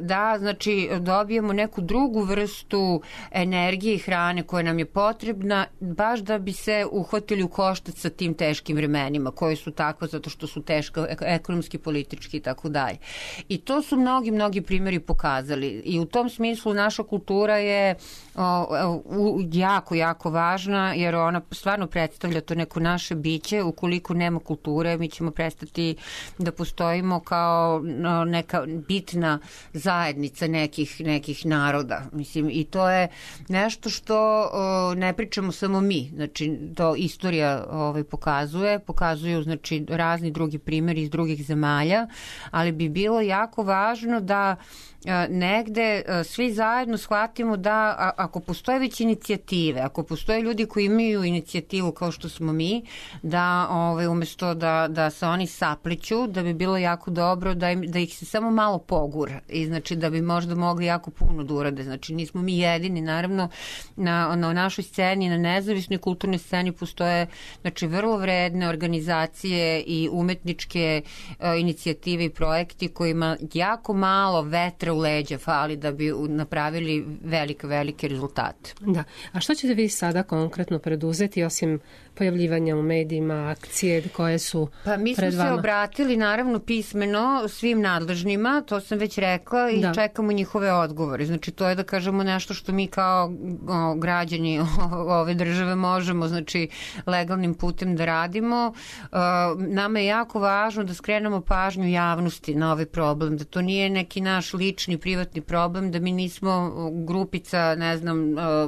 da, znači, dobijemo neku drugu vrstu energije i hrane koja nam je potrebna, baš da bi se uhvatili u koštac sa tim teškim vremenima, koje su takva zato što su teška ekonomski, politički i tako dalje. I to su mnogi primjeri pokazali. I u tom smislu naša kultura je jako važna, jer ona stvarno predstavlja to neko naše biće. Ukoliko nema kulture, mi ćemo prestati da postojimo kao neka bitna zajednica nekih naroda. Mislim, i to je nešto što ne pričamo samo mi. Znači, to istorija pokazuju, znači, razni drugi primjeri iz drugih zemalja, ali bi bilo jako važno da negde svi zajedno shvatimo da ako postoje već inicijative, ako postoje ljudi koji imaju inicijativu kao što smo mi, da umesto da se oni sapliću, da bi bilo jako dobro da ih se samo malo pogura i, znači, da bi možda mogli jako puno da urade. Znači, nismo mi jedini, naravno, na našoj sceni, na nezavisnoj kulturnoj sceni postoje, znači, vrlo vredne organizacije i umetničke inicijative i projekti kojima jako malo vetra u leđa fali da bi napravili velike rezultate.
Da. A što ćete vi sada konkretno preduzeti, osim pojavljivanja u medijima, akcije koje su pred vama?
Pa mi smo se obratili, naravno, pismeno svim nadležnima, to sam već rekla, i čekamo njihove odgovore. Znači, to je, da kažemo, nešto što mi kao građani ove države možemo, znači, legalnim putem da radimo. Nama je jako važno da skrenemo pažnju javnosti na ovaj problem, da to nije neki naš lični, privatni problem, da mi nismo grupica, ne znam,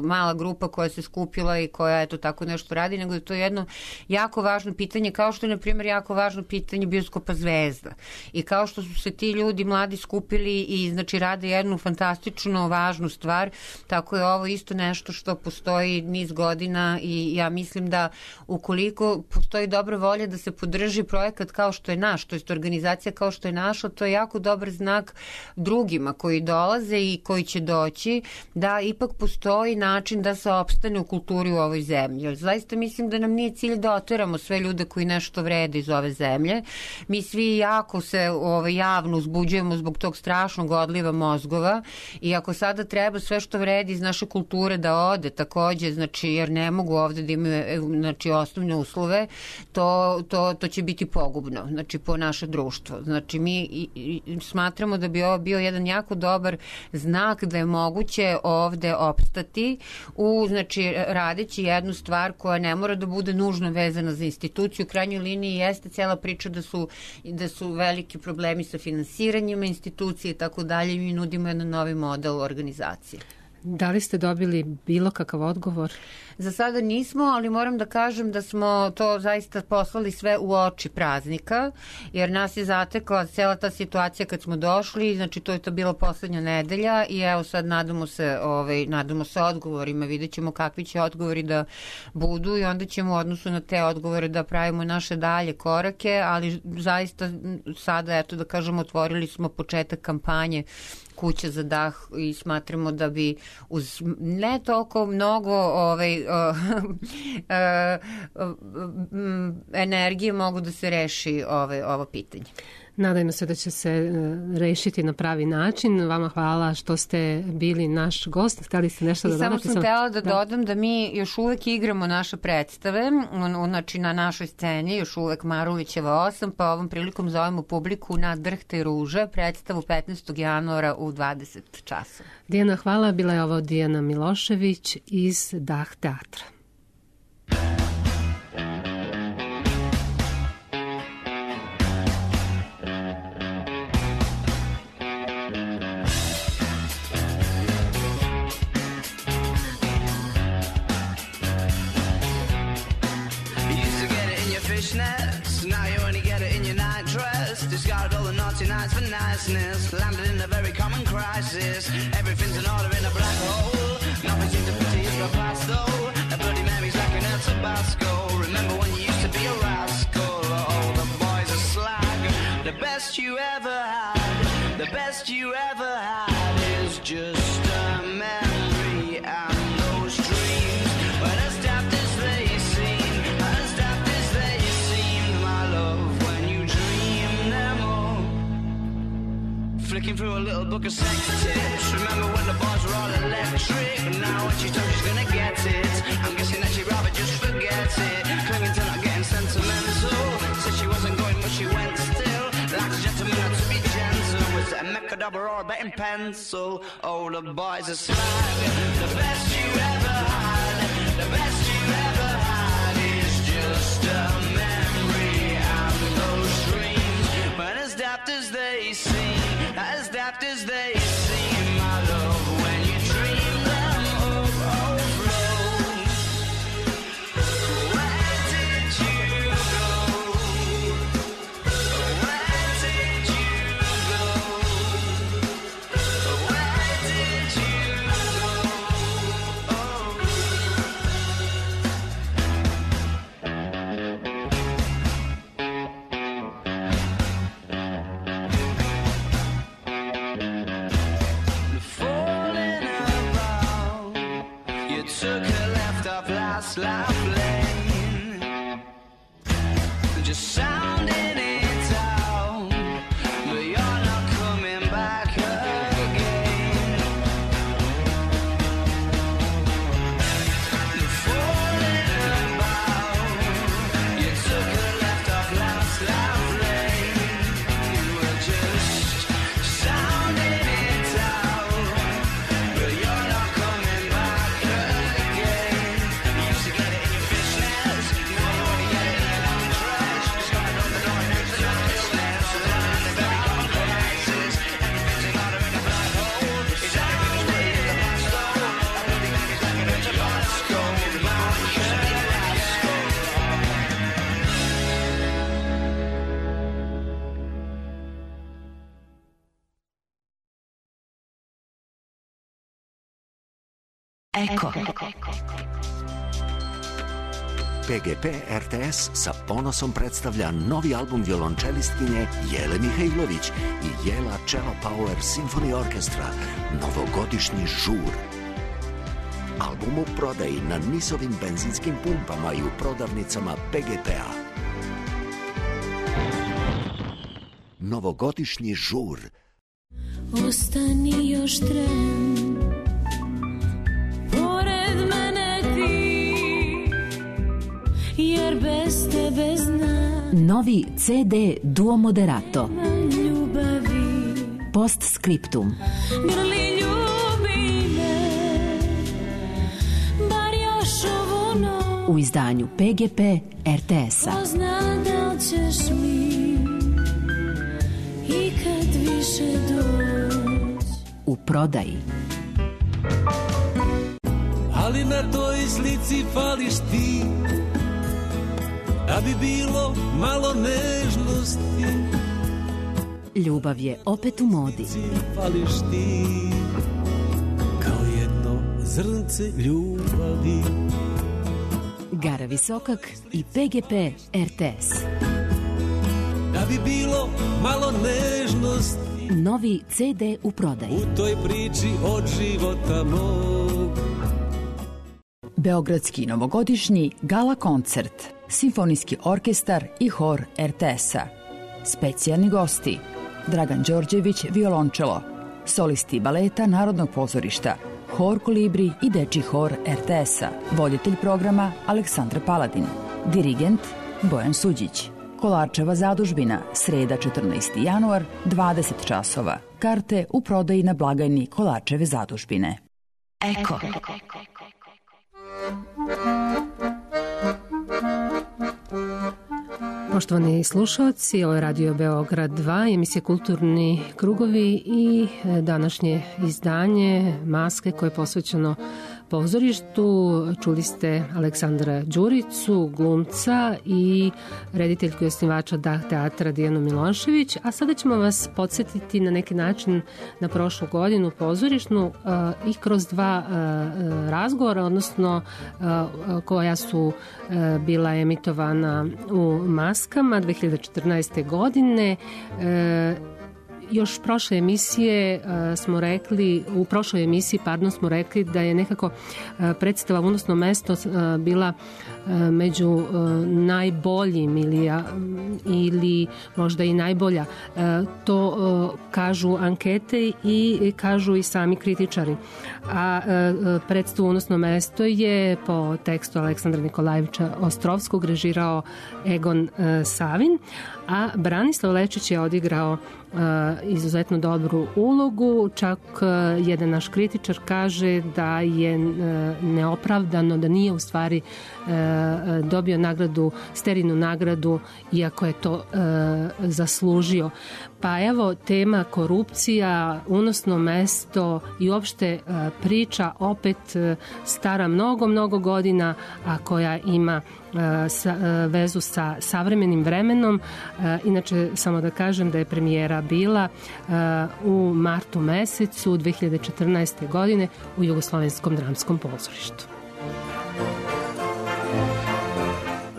mala grupa koja se skupila i koja, eto, tako nešto radi, nego da to je jedno jako važno pitanje, kao što je, na primjer, jako važno pitanje bioskopa Zvezda. I kao što su se ti ljudi mladi skupili i, znači, rade jednu fantastično važnu stvar, tako je ovo isto nešto što postoji niz godina i ja mislim da ukoliko postoji dobra volja da se podrži projekat kao što je naš, to jest organizacija kao što je naša, to je jako dobar znak drugim ljudima koji dolaze i koji će doći da ipak postoji način da se opstane u kulturi u ovoj zemlji. Jer zaista mislim da nam nije cilj da oteramo sve ljude koji nešto vrede iz ove zemlje. Mi svi jako se javno uzbuđujemo zbog tog strašnog odliva mozgova i ako sada treba sve što vredi iz naše kulture da ode takođe, znači jer ne mogu ovde da imaju znači, osnovne uslove, to će biti pogubno, znači po naše društvo. Znači mi smatramo da bi ovo bio jedan jako dobar znak da je moguće ovde opstati znači radeći jednu stvar koja ne mora da bude nužno vezana za instituciju. U krajnjoj liniji jeste cijela priča da su veliki problemi sa finansiranjima institucije i tako dalje i mi nudimo jedan novi model organizacije.
Da li ste dobili bilo kakav odgovor?
Za sada nismo, ali moram da kažem da smo to zaista poslali sve u oči praznika, jer nas je zatekla cela ta situacija kad smo došli, znači to je to bila poslednja nedelja i evo sad nadamo se odgovorima, vidjet ćemo kakvi će odgovori da budu i onda ćemo u odnosu na te odgovore da pravimo naše dalje korake, ali zaista sada, eto da kažem, otvorili smo početak kampanje Kuća za dah i smatramo da bi uz ne toliko mnogo energije mogu da se reši ovo pitanje.
Nadajmo se da će se rešiti na pravi način. Vama hvala što ste bili naš gost. Hteli ste nešto da dodate?
Samo sam htela da dodam da mi još uvek igramo naše predstave, znači na našoj sceni, još uvek Marulićeva 8, pa ovom prilikom zovemo publiku na Drhte ruže, predstavu 15. januara u 20 časova.
Dijana, hvala. Bila je ovo Dijana Milošević iz Dah teatra.
Now you only get it in your night dress. Discarded all the naughty nights for niceness. Landed in a very common crisis. Everything's in order in a black hole. Nothing seems to put to use for past though. A Bloody Mary's like an El Tabasco. Remember when you used to be a rascal? Oh, the boys are slag. The best you ever had, the best you ever had is just a memory and those dreams. But as daft as they seem, as daft as they seemed, my love, when you dream them all. Flicking through a little book of sex tips. Remember when the bars were all electric? Now when she's told she's gonna get it, I'm guessing that she'd rather just forget it. Clinging to not getting sentimental. Said she wasn't going but she went still. Like a gentleman had to be gentle. Was it a Mechadabra or a betting pencil? Oh, the boys are slag. The best you ever had, the best you ever had is just a memory and those dreams. But as daft as they seem, as daft as they seem, my love, when you dream them overflow. Where did you go? Where did you go? Where did you go? Falling about, you took a left off last life lane, just sounding it out, but you're not coming back again. Falling about, you took a left off last life lane, you were just sounding it out, but you're not coming back again. You used to get it in your fishnets, now you only get it in your long dress. Just gonna open the door and enter the business. Around the very common crisis, everything's in order in a black hole. Is everything's ready in the past though? A Bloody Mary's like an El Tabasco. Man, you used to be a rascal.
Eko.
PGP RTS sa ponosom predstavlja novi album violončelistkinje Jele Mihajlović i Jela Cello Power Symphony Orchestra, novogodišnji žur. Album u prodaji na NIS-ovim benzinskim pumpama i u prodavnicama PGP-a. Novogodišnji žur.
Ostani još tren, pored mene ti, jer bez tebe znam.
Novi CD Duo Moderato.
Ljubavi.
Postscriptum.
Grli ljubi me, bar još ovu noć.
U izdanju PGP RTS-a.
Ko zna da li ćeš mi i kad više doć.
U prodaji.
Ali na toj slici fališ ti, da bi bilo malo nežnosti.
Ljubav je opet u modi.
Fališ ti, kao jedno zrnce ljubavi.
Gara Visokak i PGP RTS.
Da bi bilo malo nežnosti.
Novi CD u prodaji.
U toj priči od života mog.
Beogradski novogodišnji gala koncert, simfonijski orkestar i hor RTS-a. Specijalni gosti: Dragan Đorđević, violončelo, solisti baleta Narodnog pozorišta, hor Kolibri i dečji hor RTS-a. Voditelj programa Aleksandar Paladin, dirigent Bojan Suđić. Kolarčeva zadužbina, sreda 14. januar, 20 časova. Karte u prodaji na blagajni Kolarčeve zadužbine.
Eko.
Poštovani slušalci, ovo je Radio Beograd 2, emisija Kulturni krugovi i današnje izdanje Maske koje je posvećeno pozorištu. Čuli Aleksandra Đuricu, glumca i rediteljku i osnivača DAH teatra Dijanu Milošević, a sada ćemo vas podsjetiti na neki način na prošlu godinu pozorišnu i kroz dva razgovora, odnosno koja su bila emitovana u Maskama 2014. godine. Još prošle emisije smo rekli, u prošloj emisiji smo rekli da je nekako predstava Unosno mesto bila među najboljim ili možda i najbolja. To kažu ankete i kažu i sami kritičari. A predstavu Unosno mesto je po tekstu Aleksandra Nikolajevića Ostrovskog režirao Egon Savin, a Branislav Lečić je odigrao izuzetno dobru ulogu. Čak jedan naš kritičar kaže da je neopravdano, da nije u stvari dobio nagradu, Sterinu nagradu, iako je to zaslužio. Pa evo, tema korupcija, Unosno mesto i uopšte priča opet stara mnogo godina, a koja ima vezu sa savremenim vremenom. Inače, samo da kažem da je premijera bila u martu mesecu 2014. godine u Jugoslovenskom dramskom pozorištu.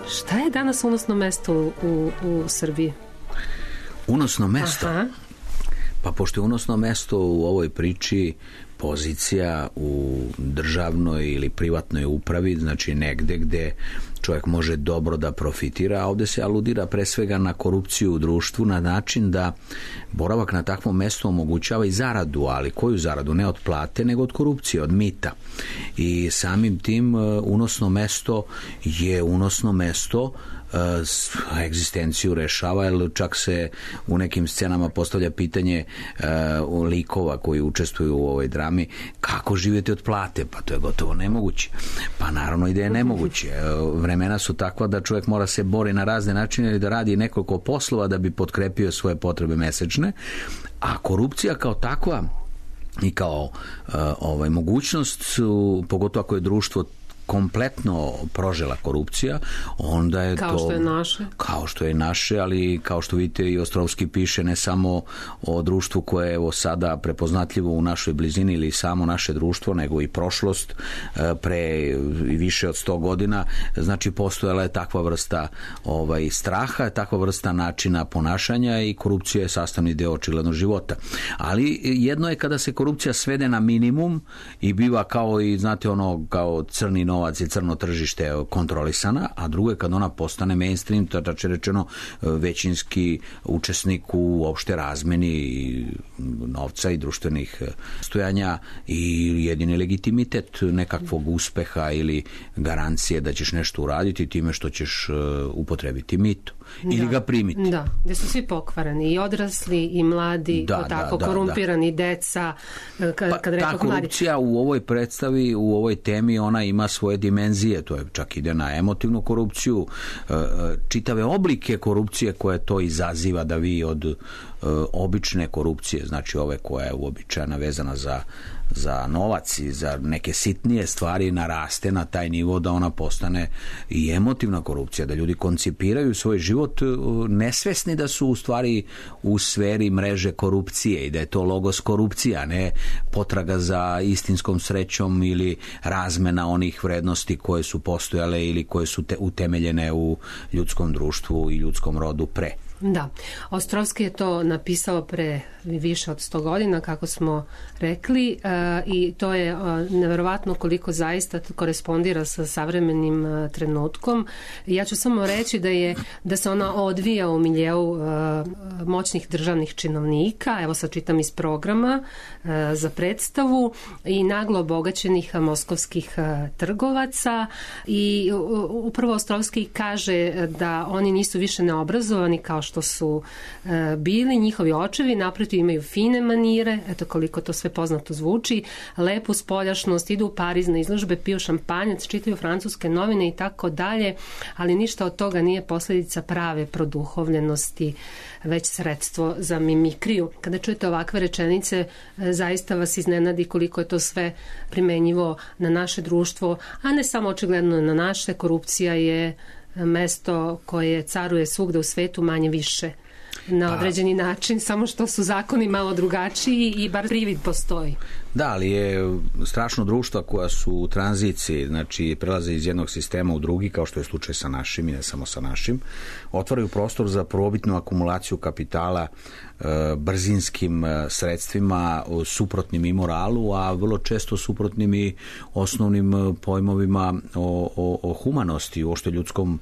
Šta je danas unosno mesto u Srbiji?
Unosno mesto? Aha. Pa pošto je unosno mesto u ovoj priči pozicija u državnoj ili privatnoj upravi, znači negde gde čovjek može dobro da profitira, a ovde se aludira pre svega na korupciju u društvu na način da boravak na takvom mestu omogućava i zaradu, ali koju zaradu? Ne od plate, nego od korupcije, od mita. I samim tim unosno mesto je unosno mesto, egzistenciju rešava, jer čak se u nekim scenama postavlja pitanje likova koji učestvuju u ovoj drami, kako živjeti od plate? Pa to je gotovo nemoguće. Pa naravno i da je nemoguće. Vremena su takva da čovjek mora se bori na razne načine ili da radi nekoliko poslova da bi potkrepio svoje potrebe mesečne, a korupcija kao takva i kao mogućnost, pogotovo ako je društvo kompletno prožela korupcija, onda je
kao
to...
Kao
što je naše, ali kao što vidite i Ostrovski piše ne samo o društvu koje je evo sada prepoznatljivo u našoj blizini ili samo naše društvo, nego i prošlost pre više od 100 godina. Znači, postojala je takva vrsta straha, takva vrsta načina ponašanja i korupcija je sastavni deo očigledno života. Ali jedno je kada se korupcija svede na minimum i biva kao i, znate, ono, kao crni novac i crno tržište kontrolisana, a drugo je kada ona postane mainstream, tače rečeno većinski učesnik u opšte razmeni novca i društvenih stojanja i jedini legitimitet nekakvog uspeha ili garancije da ćeš nešto uraditi time što ćeš upotrebiti mito ili ga primiti.
Da, gde su svi pokvareni, i odrasli i mladi, korumpirani deca.
Ta korupcija u ovoj predstavi, u ovoj temi, ona ima svoje dimenzije, to je čak ide na emotivnu korupciju, čitave oblike korupcije koje to izaziva, da vi od obične korupcije, znači ove koja je uobičajena vezana za novac i za neke sitnije stvari, naraste na taj nivo da ona postane i emotivna korupcija, da ljudi koncipiraju svoj život nesvesni da su u stvari u sferi mreže korupcije i da je to logos korupcija, ne potraga za istinskom srećom ili razmena onih vrednosti koje su postojale ili koje su utemeljene u ljudskom društvu i ljudskom rodu pre.
Da, Ostrovski je to napisao pre više od 100 godina, kako smo rekli, i to je neverovatno koliko zaista korespondira sa savremenim trenutkom. Ja ću samo reći da se ona odvija u miljeu moćnih državnih činovnika, evo sad čitam iz programa za predstavu, i naglo obogaćenih moskovskih trgovaca, i upravo Ostrovski kaže da oni nisu više neobrazovani kao što su bili njihovi očevi, naprotiv imaju fine manire, eto koliko to sve poznato zvuči, lepu spoljašnost, idu u Pariz na izložbe, piju šampanjac, čitaju francuske novine i tako dalje, ali ništa od toga nije posljedica prave produhovljenosti, već sredstvo za mimikriju. Kada čujete ovakve rečenice, zaista vas iznenadi koliko je to sve primenjivo na naše društvo, a ne samo očigledno na naše. Korupcija je mesto koje caruje svugde u svetu, manje više na određeni način, samo što su zakoni malo drugačiji i bar privid postoji.
Da, ali je strašno društva koja su u tranziciji, znači prelaze iz jednog sistema u drugi, kao što je slučaj sa našim i ne samo sa našim, otvaraju prostor za probitnu akumulaciju kapitala brzinskim sredstvima, suprotnim i moralu, a vrlo često suprotnim i osnovnim pojmovima o humanosti, uopšte ljudskom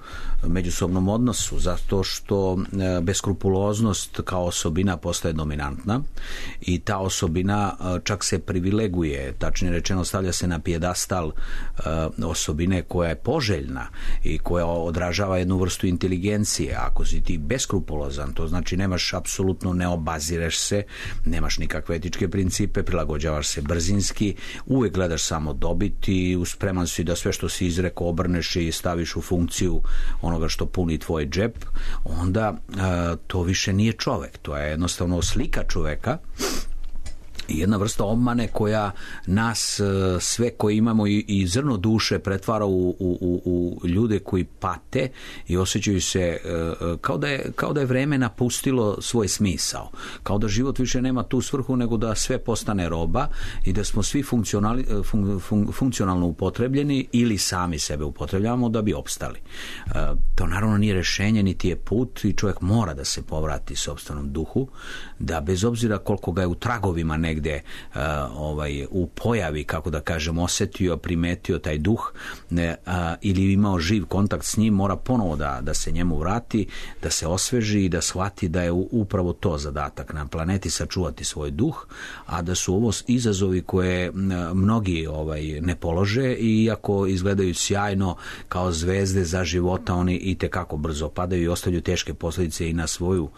međusobnom odnosu, zato što beskrupuloznost kao osobina postaje dominantna i ta osobina čak se privileguje, tačnije rečeno stavlja se na pijedastal osobine koja je poželjna i koja odražava jednu vrstu inteligencije. Ako si ti beskrupulozan, to znači nemaš apsolutno, ne obazireš se, nemaš nikakve etičke principe, prilagođavaš se brzinski, uvek gledaš samo dobit i spreman si da sve što si izrekao obrneš i staviš u funkciju onoga što puni tvoj džep, onda to više nije čovek, to je jednostavno slika čoveka i jedna vrsta obmane koja nas sve koji imamo i zrno duše pretvara u ljude koji pate i osjećaju se kao da je vreme napustilo svoj smisao, kao da život više nema tu svrhu nego da sve postane roba i da smo svi funkcionalno upotrebljeni ili sami sebe upotrebljavamo da bi opstali. To naravno nije rešenje niti je put i čovjek mora da se povrati sopstvenom duhu, da bez obzira koliko ga je u tragovima negde u pojavi, kako da kažem, osetio, primetio taj duh ili imao živ kontakt s njim, mora ponovo da se njemu vrati, da se osveži i da shvati da je upravo to zadatak na planeti, sačuvati svoj duh, a da su ovo izazovi koje mnogi ne polože i iako izgledaju sjajno kao zvezde za života, oni i tekako brzo padaju i ostavljaju teške posljedice i na svoju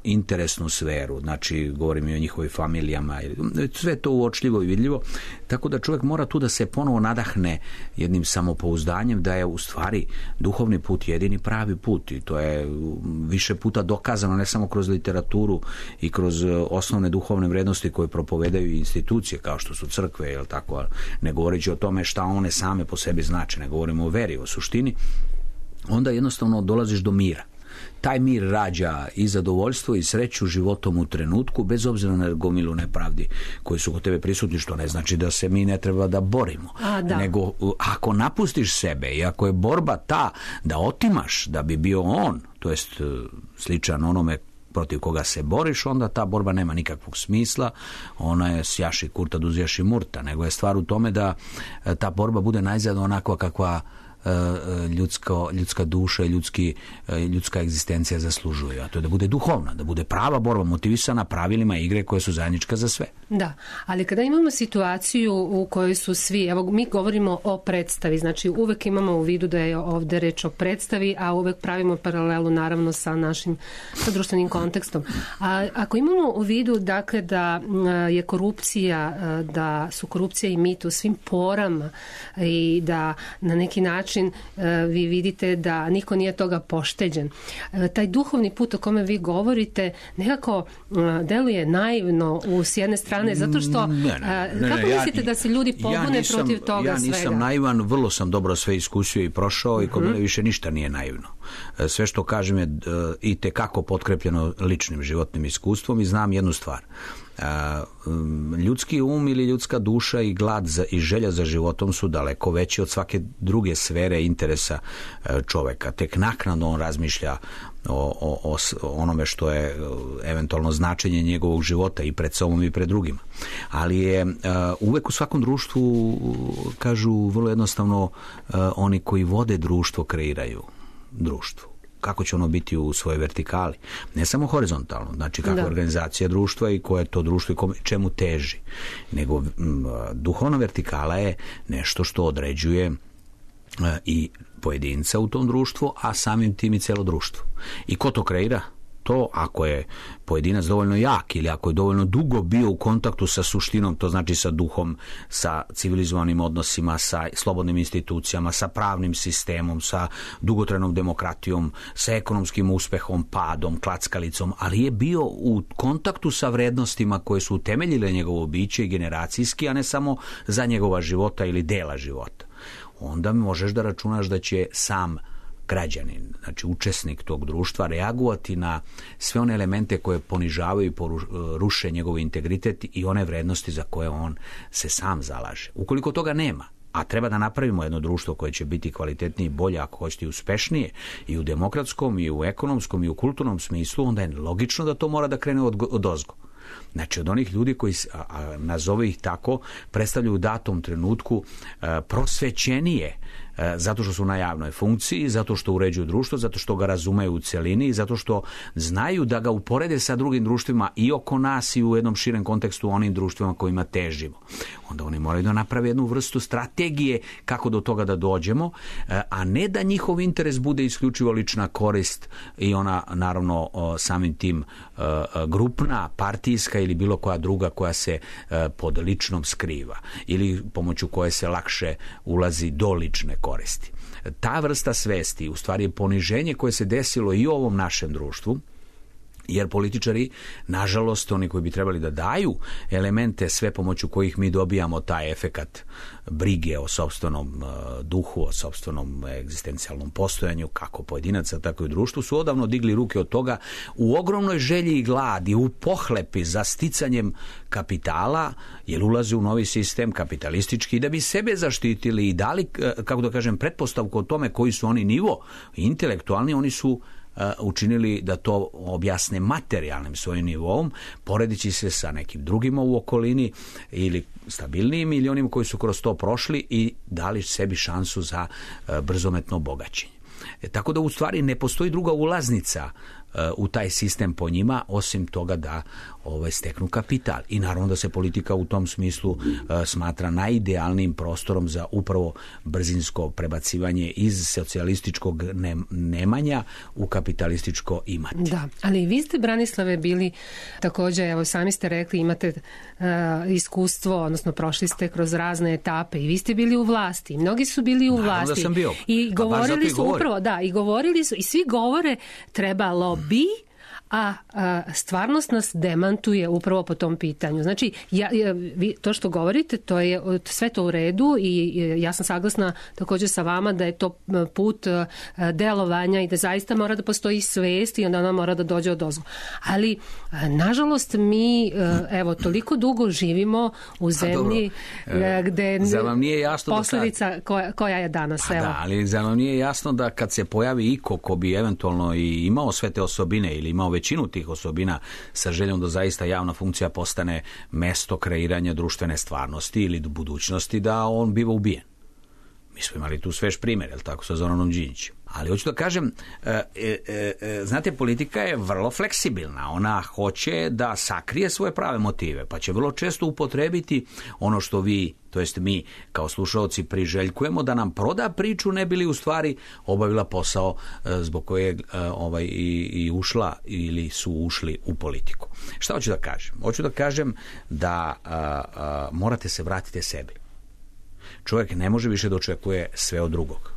interesnu sferu, znači govorim i o njihovoj familijama. Sve to uočljivo i vidljivo. Tako da čovjek mora tu da se ponovo nadahne jednim samopouzdanjem da je u stvari duhovni put jedini pravi put, i to je više puta dokazano, ne samo kroz literaturu i kroz osnovne duhovne vrednosti koje propovedaju institucije kao što su crkve, jel tako, ne govoreći o tome šta one same po sebi znače, ne govorimo o veri, o suštini, onda jednostavno dolaziš do mira. Taj mir rađa i zadovoljstvo i sreću životom u trenutku, bez obzira na gomilu nepravdi koji su kod tebe prisutni, što ne znači da se mi ne treba da borimo. Nego ako napustiš sebe i ako je borba ta da otimaš da bi bio on, to jest sličan onome protiv koga se boriš, onda ta borba nema nikakvog smisla, ona je sjaši kurta duzjaši murta, nego je stvar u tome da ta borba bude najzad onakva kakva ljudska duša i ljudska egzistencija zaslužuju, a to je da bude duhovna, da bude prava borba, motivisana pravilima igre koje su zajednička za sve.
Da, ali kada imamo situaciju u kojoj su svi, evo mi govorimo o predstavi, znači uvek imamo u vidu da je ovde reč o predstavi, a uvek pravimo paralelu naravno sa našim društvenim kontekstom. A ako imamo u vidu dakle da je korupcija, da su korupcija i mit u svim porama i da na neki način vi vidite da niko nije toga pošteđen. Taj duhovni put o kome vi govorite nekako deluje naivno s jedne strane, zato što kako mislite da se ljudi pobune protiv toga svega?
Ja nisam naivan, vrlo sam dobro sve iskusio i prošao i kod mene više ništa nije naivno. Sve što kažem je i tekako potkrepljeno ličnim životnim iskustvom i znam jednu stvar. Ljudski um ili ljudska duša i glad i želja za životom su daleko veći od svake druge sfere interesa čoveka. Tek naknadno on razmišlja o onome što je eventualno značenje njegovog života i pred sobom i pred drugima. Ali je uvek u svakom društvu, kažu vrlo jednostavno, oni koji vode društvo kreiraju društvo. Kako će ono biti u svojoj vertikali, ne samo horizontalno, znači kakva je organizacija društva i koje je to društvo i čemu teži, nego duhovna vertikala je nešto što određuje i pojedinca u tom društvu, a samim tim i celo društvo. I ko to kreira? To ako je pojedinac dovoljno jak ili ako je dovoljno dugo bio u kontaktu sa suštinom, to znači sa duhom, sa civilizovanim odnosima, sa slobodnim institucijama, sa pravnim sistemom, sa dugotrajnom demokratijom, sa ekonomskim uspehom, padom, klackalicom, ali je bio u kontaktu sa vrednostima koje su utemeljile njegovo biće generacijski, a ne samo za njegova života ili dela života. Onda možeš da računaš da će sam građanin, znači učesnik tog društva, reagovati na sve one elemente koje ponižavaju i ruše njegov integritet i one vrednosti za koje on se sam zalaže. Ukoliko toga nema, a treba da napravimo jedno društvo koje će biti kvalitetnije i bolje, ako hoćete i uspešnije, i u demokratskom, i u ekonomskom, i u kulturnom smislu, onda je logično da to mora da krene odozgo. Znači od onih ljudi koji, nazove ih tako, predstavljaju u datom trenutku prosvećenije, zato što su na javnoj funkciji, zato što uređuju društvo, zato što ga razumeju u celini, zato što znaju da ga uporede sa drugim društvima i oko nas i u jednom širem kontekstu onim društvima kojima težimo. Onda oni moraju da naprave jednu vrstu strategije kako do toga da dođemo, a ne da njihov interes bude isključivo lična korist i ona naravno samim tim grupna, partijska ili bilo koja druga koja se pod ličnom skriva ili pomoću koje se lakše ulazi do lične koristi. Ta vrsta svesti u stvari je poniženje koje se desilo i u ovom našem društvu, jer političari, nažalost, oni koji bi trebali da daju elemente sve pomoću kojih mi dobijamo taj efekat brige o sopstvenom duhu, o sopstvenom egzistencijalnom postojanju, kako pojedinaca, tako i u društvu, su odavno digli ruke od toga u ogromnoj želji i gladi, u pohlepi za sticanjem kapitala, jer ulaze u novi sistem kapitalistički da bi sebe zaštitili i dali, kako da kažem, pretpostavku o tome koji su oni nivo intelektualni, oni su učinili da to objasne materijalnim svojim nivom, poredići se sa nekim drugima u okolini ili stabilnijim ili onim koji su kroz to prošli i dali sebi šansu za brzometno bogaćenje. Tako da u stvari ne postoji druga ulaznica u taj sistem po njima, osim toga da steknu kapital. I naravno da se politika u tom smislu smatra najidealnijim prostorom za upravo brzinsko prebacivanje iz socijalističkog nemanja u kapitalističko imati.
Da, ali vi ste, Branislave, bili također, evo sami ste rekli, imate iskustvo, odnosno prošli ste kroz razne etape i vi ste bili u vlasti. Mnogi su bili u vlasti.
Naravno da sam bio.
I govorili su upravo, i govorili su, i svi govore trebalo bi, a stvarnost nas demantuje upravo po tom pitanju. Znači, vi to što govorite, to je sve to u redu i ja sam saglasna također sa vama da je to put delovanja i da zaista mora da postoji svest i onda ona mora da dođe od ozgo. Ali, nažalost, mi toliko dugo živimo u zemlji gde posljedica koja je danas.
Da, ali za vam nije jasno da kad se pojavi iko ko bi eventualno i imao sve te osobine ili imao većinu tih osobina sa željom da zaista javna funkcija postane mesto kreiranja društvene stvarnosti ili budućnosti, da on biva ubijen. Mi smo imali tu svež primjer, je li tako, sa Zoranom Đinđićem. Ali hoću da kažem, znate, politika je vrlo fleksibilna. Ona hoće da sakrije svoje prave motive, pa će vrlo često upotrebiti ono što vi, to jest mi kao slušaoci, priželjkujemo, da nam proda priču, ne bi li u stvari obavila posao zbog kojeg i ušla ili su ušli u politiku. Šta hoću da kažem? Hoću da kažem da morate se vratiti sebi. Čovjek ne može više da očekuje sve od drugog.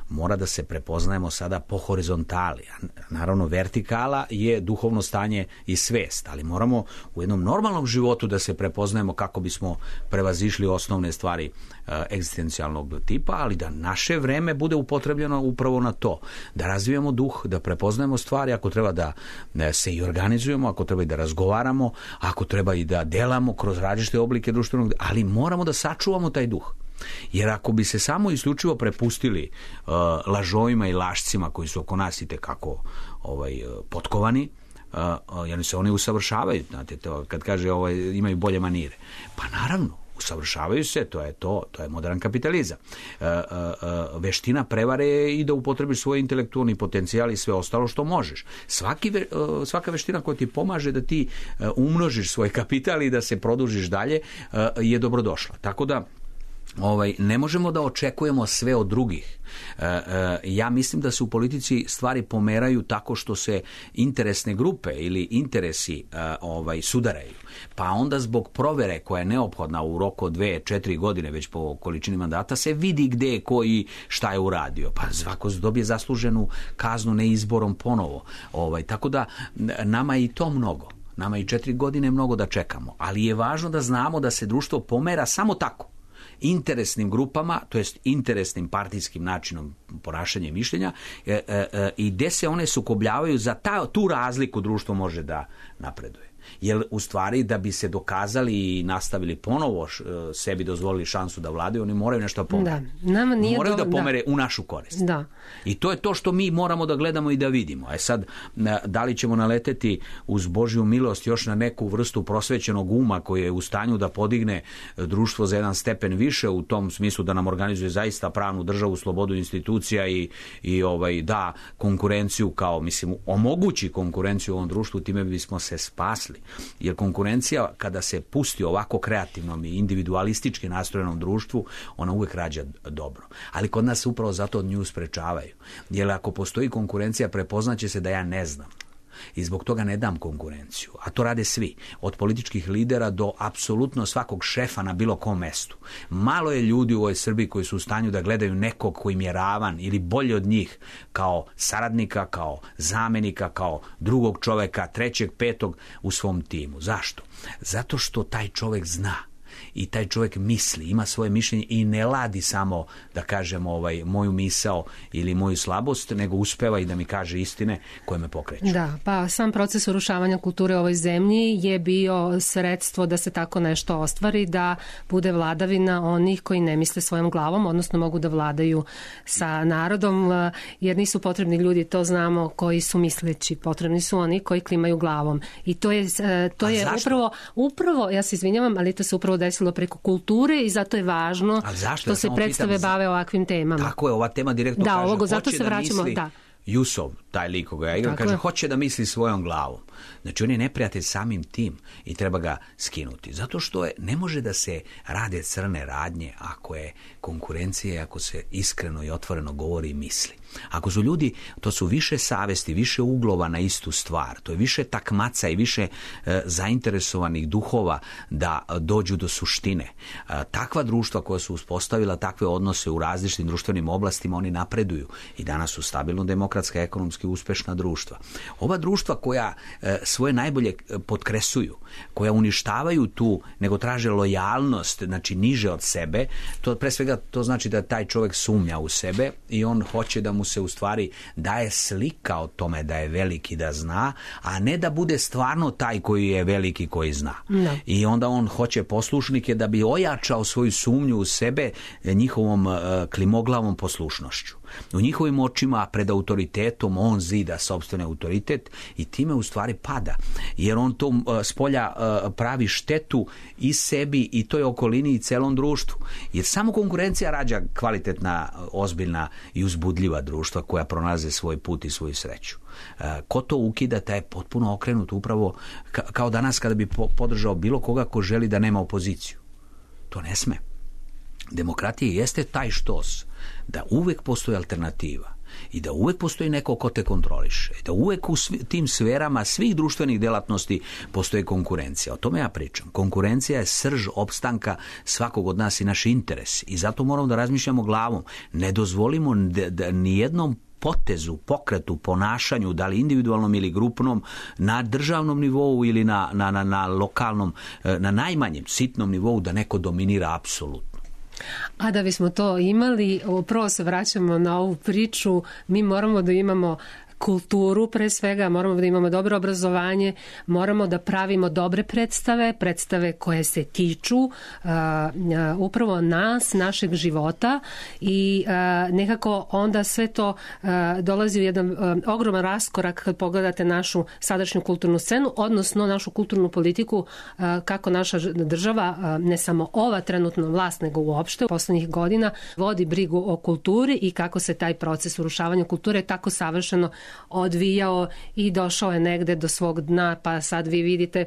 Mora da se prepoznajemo sada po horizontali. Naravno, vertikala je duhovno stanje i svest, ali moramo u jednom normalnom životu da se prepoznajemo kako bismo prevazišli osnovne stvari egzistencijalnog tipa, ali da naše vreme bude upotrebljeno upravo na to. Da razvijamo duh, da prepoznajemo stvari, ako treba da se i organizujemo, ako treba i da razgovaramo, ako treba i da delamo kroz različite oblike društvenog, ali moramo da sačuvamo taj duh. Jer ako bi se samo isključivo prepustili lažovima i lašcima koji su oko nas i tekako potkovani, jer se oni usavršavaju, znate, to, kad kaže imaju bolje manire. Pa naravno, usavršavaju se, to je modern kapitalizam. Veština prevare je i da upotrebiš svoj intelektualni potencijal i sve ostalo što možeš. Svaka veština koja ti pomaže da ti umnožiš svoj kapital i da se produžiš dalje je dobrodošla. Tako da ne možemo da očekujemo sve od drugih. Ja mislim da se u politici stvari pomeraju tako što se interesne grupe ili interesi sudaraju. Pa onda zbog provere koja je neophodna u roku od 2-4 godine već po količini mandata se vidi gde je ko i šta je uradio. Pa svako dobije zasluženu kaznu ne izborom ponovo. Tako da nama je i to mnogo. Nama i 4 godine mnogo da čekamo. Ali je važno da znamo da se društvo pomera samo tako. Interesnim grupama, to jest interesnim partijskim načinom ponašanja i mišljenja i gde se one sukobljavaju, za tu razliku društvo može da napreduje. Jer u stvari da bi se dokazali i nastavili ponovo sebi dozvolili šansu da vladaju, oni moraju nešto pomere. Moraju da pomere u našu korist.
Da.
I to je to što mi moramo da gledamo i da vidimo. Sad, da li ćemo naleteti uz Božju milost još na neku vrstu prosvećenog uma koji je u stanju da podigne društvo za jedan stepen više u tom smislu da nam organizuje zaista pravnu državu, slobodu institucija i da konkurenciju kao, omogući konkurenciju u ovom društvu, time bismo se spasli. Jer konkurencija, kada se pusti ovako kreativnom i individualistički nastrojenom društvu, ona uvek rađa dobro. Ali kod nas upravo zato nju sprečavaju. Jer ako postoji konkurencija, prepoznaće se da ja ne znam. I zbog toga ne dam konkurenciju. A to rade svi. Od političkih lidera do apsolutno svakog šefa na bilo kom mestu. Malo je ljudi u ovoj Srbiji koji su u stanju da gledaju nekog koji im je ravan ili bolje od njih kao saradnika, kao zamenika, kao drugog čoveka, trećeg, petog u svom timu. Zašto? Zato što taj čovek zna. I taj čovjek misli, ima svoje mišljenje i ne ladi samo da kažem moju misao ili moju slabost, nego uspeva i da mi kaže istine koje me pokreću.
Da, pa sam proces urušavanja kulture u ovoj zemlji je bio sredstvo da se tako nešto ostvari, da bude vladavina onih koji ne misle svojom glavom, odnosno mogu da vladaju sa narodom, jer nisu potrebni ljudi, to znamo, koji su misleći, potrebni su oni koji klimaju glavom. I to je upravo, ja se izvinjavam, ali to se upravo desilo preko kulture i zato je važno što se predstave bave ovakvim temama.
Tako je, ova tema direktno kaže,
zato se vraćamo,
Jusov, taj lik koga ja igram, kaže, hoće da misli svojom glavom. Znači, on je neprijatelj samim tim i treba ga skinuti. Zato što ne može da se rade crne radnje ako je konkurencija, ako se iskreno i otvoreno govori i misli. Ako su ljudi, to su više savesti, više uglova na istu stvar, to je više takmaca i više zainteresovanih duhova da dođu do suštine. Takva društva koja su uspostavila takve odnose u različitim društvenim oblastima, oni napreduju i danas su stabilno demokratska, ekonomski uspešna društva. Ova društva koja svoje najbolje potkresuju, koja uništavaju tu, nego traže lojalnost, znači niže od sebe, to pre svega to znači da taj čovjek sumnja u sebe i on hoće da mu se u stvari daje slika o tome da je veliki, da zna, a ne da bude stvarno taj koji je veliki, koji zna. No. I onda on hoće poslušnike da bi ojačao svoju sumnju u sebe njihovom klimoglavom poslušnošću. U njihovim očima pred autoritetom on zida sopstveni autoritet i time u stvari pada, jer on to spolja pravi štetu i sebi i toj okolini i celom društvu. Jer samo konkurencija rađa kvalitetna, ozbiljna i uzbudljiva društva koja pronalaze svoj put i svoju sreću. Ko to ukida, taj je potpuno okrenut upravo kao danas kada bi podržao bilo koga ko želi da nema opoziciju. To ne sme. Demokratija jeste taj štos da uvek postoji alternativa i da uvek postoji neko ko te kontroliše, da uvek u tim sferama svih društvenih delatnosti postoji konkurencija. O tome ja pričam. Konkurencija je srž opstanka svakog od nas i naš interes i zato moramo da razmišljamo glavom. Ne dozvolimo da nijednom potezu, pokretu, ponašanju, da li individualnom ili grupnom, na državnom nivou ili na lokalnom, na najmanjem sitnom nivou da neko dominira apsolutno.
A da bismo to imali, prvo se vraćamo na ovu priču, mi moramo da imamo kulturu pre svega, moramo da imamo dobro obrazovanje, moramo da pravimo dobre predstave koje se tiču upravo nas, našeg života i nekako onda sve to dolazi u jedan ogroman raskorak kad pogledate našu sadašnju kulturnu scenu, odnosno našu kulturnu politiku, kako naša država, ne samo ova trenutna vlast, nego uopšte u poslednjih godina vodi brigu o kulturi i kako se taj proces urušavanja kulture tako savršeno odvijao i došao je negde do svog dna, pa sad vi vidite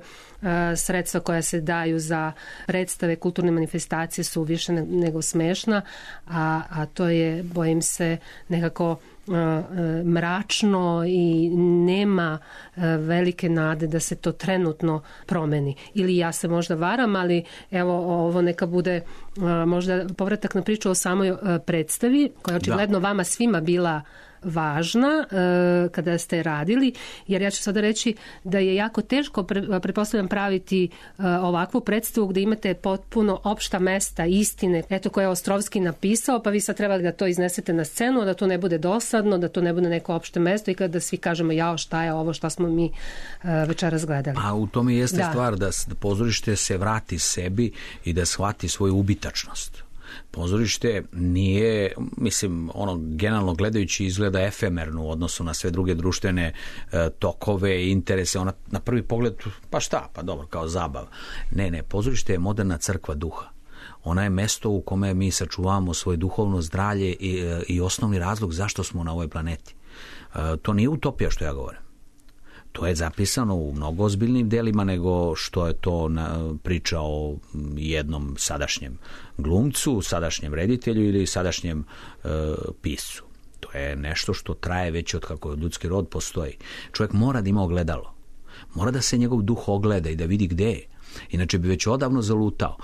sredstva koja se daju za predstave, kulturne manifestacije su više nego smešna, a to je, bojim se, nekako mračno i nema velike nade da se to trenutno promeni. Ili ja se možda varam, ali evo ovo neka bude možda povratak na priču o samoj predstavi, koja je očigledno vama svima bila važna kada ste radili, jer ja ću sada reći da je jako teško, pretpostavljam, praviti ovakvu predstavu gde imate potpuno opšta mesta, istine, eto koje je Ostrovski napisao, pa vi sad trebali da to iznesete na scenu, da to ne bude dosadno, da to ne bude neko opšte mesto i kada svi kažemo jao šta je ovo, šta smo mi večeras gledali.
A u tome jeste stvar da pozorište se vrati sebi i da shvati svoju ubitačnost. Pozorište nije, mislim, generalno gledajući izgleda efemerno u odnosu na sve druge društvene tokove, interese, ona na prvi pogled, pa šta, pa dobro, kao zabava. Ne, pozorište je moderna crkva duha. Ona je mesto u kome mi sačuvamo svoje duhovno zdravlje i osnovni razlog zašto smo na ovoj planeti. To nije utopija što ja govorim. To je zapisano u mnogo ozbiljnim delima nego što je to priča o jednom sadašnjem glumcu, sadašnjem reditelju ili sadašnjem piscu. To je nešto što traje već od kako ljudski rod postoji. Čovjek mora da ima ogledalo. Mora da se njegov duh ogleda i da vidi gde je. Inače bi već odavno zalutao.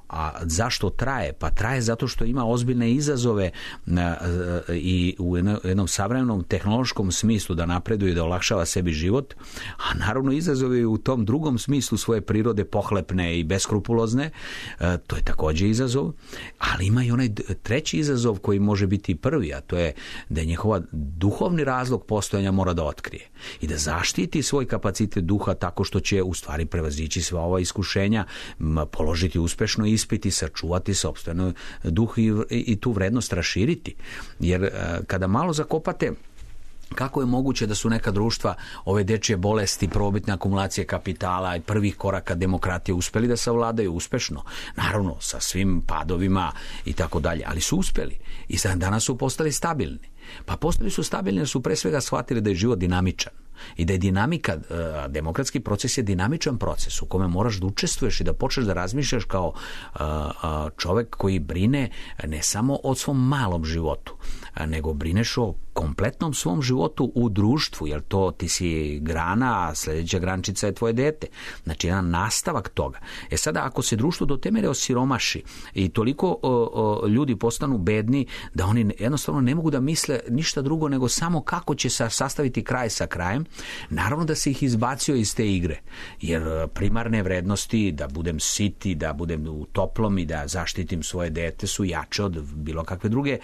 A zašto traje? Pa traje zato što ima ozbiljne izazove i u jednom savremenom tehnološkom smislu da napreduje i da olakšava sebi život, a naravno izazove u tom drugom smislu svoje prirode pohlepne i beskrupulozne. To je takođe izazov, ali ima i onaj treći izazov koji može biti prvi, a to je da je njihova duhovni razlog postojanja mora da otkrije i da zaštiti svoj kapacitet duha tako što će u stvari prevazići sva ova iskušenja, položiti uspešno ispit i sačuvati sopstveno duh i tu vrednost raširiti. Jer kada malo zakopate Kako je moguće da su neka društva ove dečje bolesti, prvobitne akumulacije kapitala i prvih koraka demokratije uspeli da savladaju uspešno? Naravno, sa svim padovima i tako dalje, ali su uspeli i sad danas su postali stabilni. Pa postali su stabilni jer su pre svega shvatili da je život dinamičan i da je dinamika, demokratski proces je dinamičan proces u kome moraš da učestvuješ i da počneš da razmišljaš kao čovek koji brine ne samo o svom malom životu, nego brineš o kompletnom svom životu u društvu, jer to ti si grana, a sledeća grančica je tvoje dete. Znači, jedan nastavak toga. Sada, ako se društvo do te mere osiromaši i toliko ljudi postanu bedni da oni jednostavno ne mogu da misle ništa drugo nego samo kako će se sastaviti kraj sa krajem, naravno da se ih izbacio iz te igre. Jer primarne vrednosti, da budem siti, da budem u toplom i da zaštitim svoje dete su jače od bilo kakve druge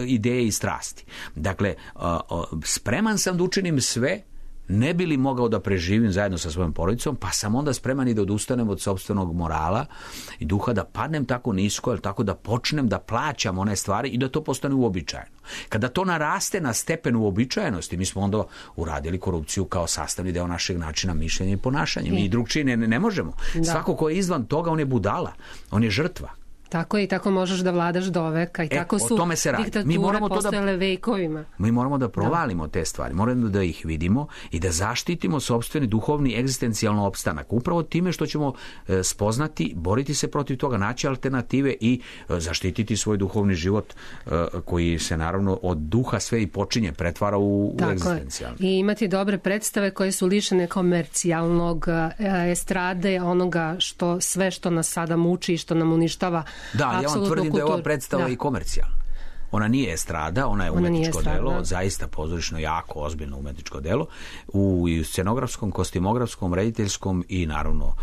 ideje i strasti. Dakle, spreman sam da učinim sve, ne bi li mogao da preživim zajedno sa svojom porodicom, pa sam onda spreman i da odustanem od sopstvenog morala i duha, da padnem tako nisko, jer tako da počnem da plaćam one stvari i da to postane uobičajeno. Kada to naraste na stepen uobičajenosti, mi smo onda uradili korupciju kao sastavni deo našeg načina mišljenja i ponašanja. Mi drugčije ne možemo. Da. Svako ko je izvan toga, on je budala, on je žrtva.
Tako je, i tako možeš da vladaš do veka i tako su diktature postojale vekovima.
Mi moramo da provalimo te stvari, moramo da ih vidimo i da zaštitimo sopstveni duhovni egzistencijalno opstanak. Upravo time što ćemo spoznati, boriti se protiv toga, naći alternative i zaštititi svoj duhovni život koji se naravno od duha sve i počinje, pretvara u egzistencijalno.
I imati dobre predstave koje su lišene komercijalnog estrade, onoga sve što nas sada muči i što nam uništava.
Da, ja vam tvrdim da je ova predstava i komercijalna. Ona nije estrada, ona je umetničko delo, zaista pozorišno, jako ozbiljno umetničko delo, u scenografskom, kostimografskom, rediteljskom i naravno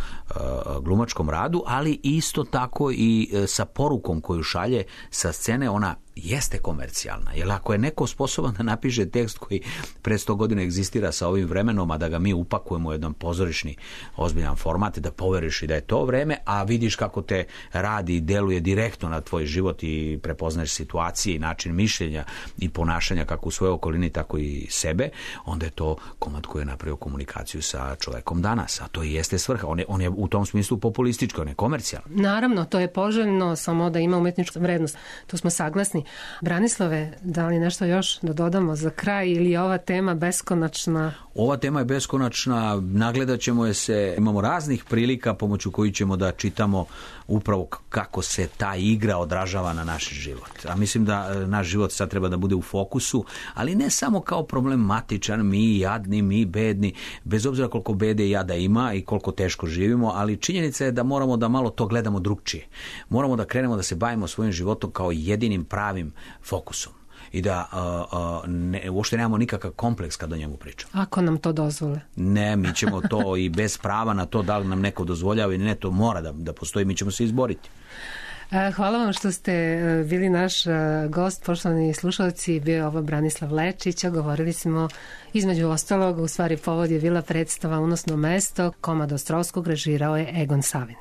glumačkom radu, ali isto tako i sa porukom koju šalje sa scene, ona jeste komercijalna. Jer ako je neko sposoban da napiše tekst koji pre 100 godina egzistira sa ovim vremenom, a da ga mi upakujemo u jedan pozorišni ozbiljan format, da poveriš i da je to vreme, a vidiš kako te radi i deluje direktno na tvoj život i prepoznaješ situacije i način mišljenja i ponašanja kako u svojoj okolini, tako i sebe, onda je to komad koji je napravio komunikaciju sa čovekom danas. A to i jeste svrha. On je u tom smislu populistički, on je komercijalan.
Naravno, to je poželjno, samo da ima umetničku vrednost. Tu smo saglasni. Branislave, da li nešto još da dodamo za kraj ili je ova tema beskonačna?
Ova tema je beskonačna, nagledat ćemo je se, imamo raznih prilika pomoću kojih ćemo da čitamo upravo kako se ta igra odražava na naš život. A mislim da naš život sad treba da bude u fokusu, ali ne samo kao problematičan, mi jadni, mi bedni, bez obzira koliko bede i jada ima i koliko teško živimo, ali činjenica je da moramo da malo to gledamo drugčije. Moramo da krenemo da se bavimo svojim životom kao jedinim pravim fokusom i da uopšte nemamo nikakav kompleks kada o njemu pričamo.
Ako nam to dozvole.
Ne, mi ćemo to i bez prava na to da li nam neko dozvoljava ili ne, to mora da postoji, mi ćemo se izboriti.
Hvala vam što ste bili naš gost, poštovani slušalci, bio je ovo Branislav Lečić, govorili smo između ostalog, u stvari povod je bila predstava Unosno mesto, komad Ostrovskog, režirao je Egon Savin.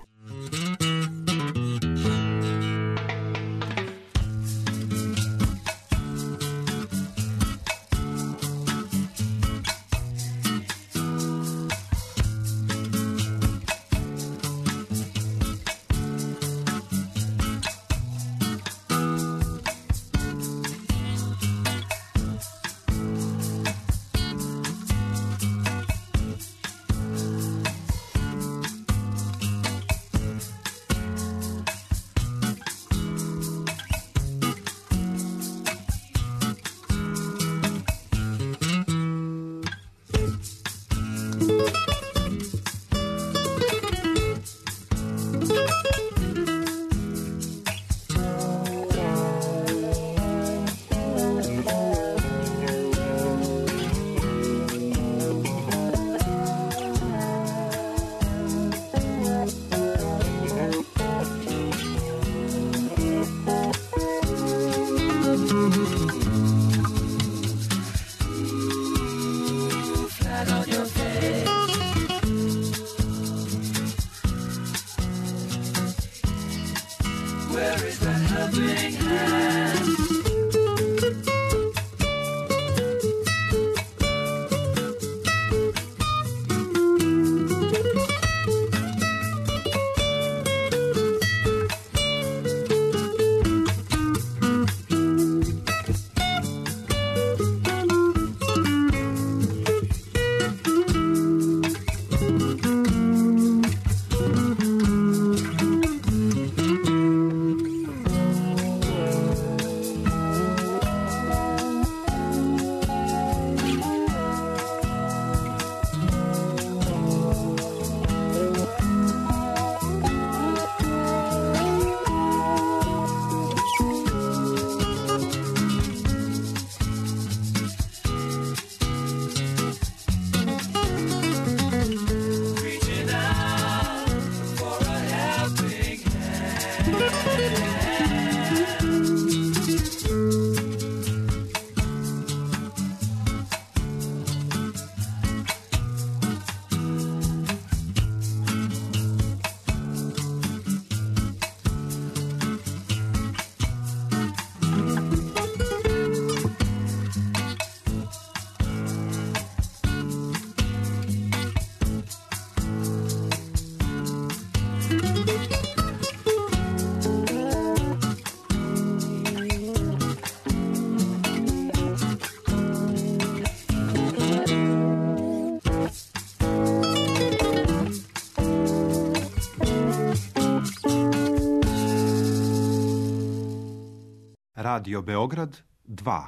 Radio Beograd 2.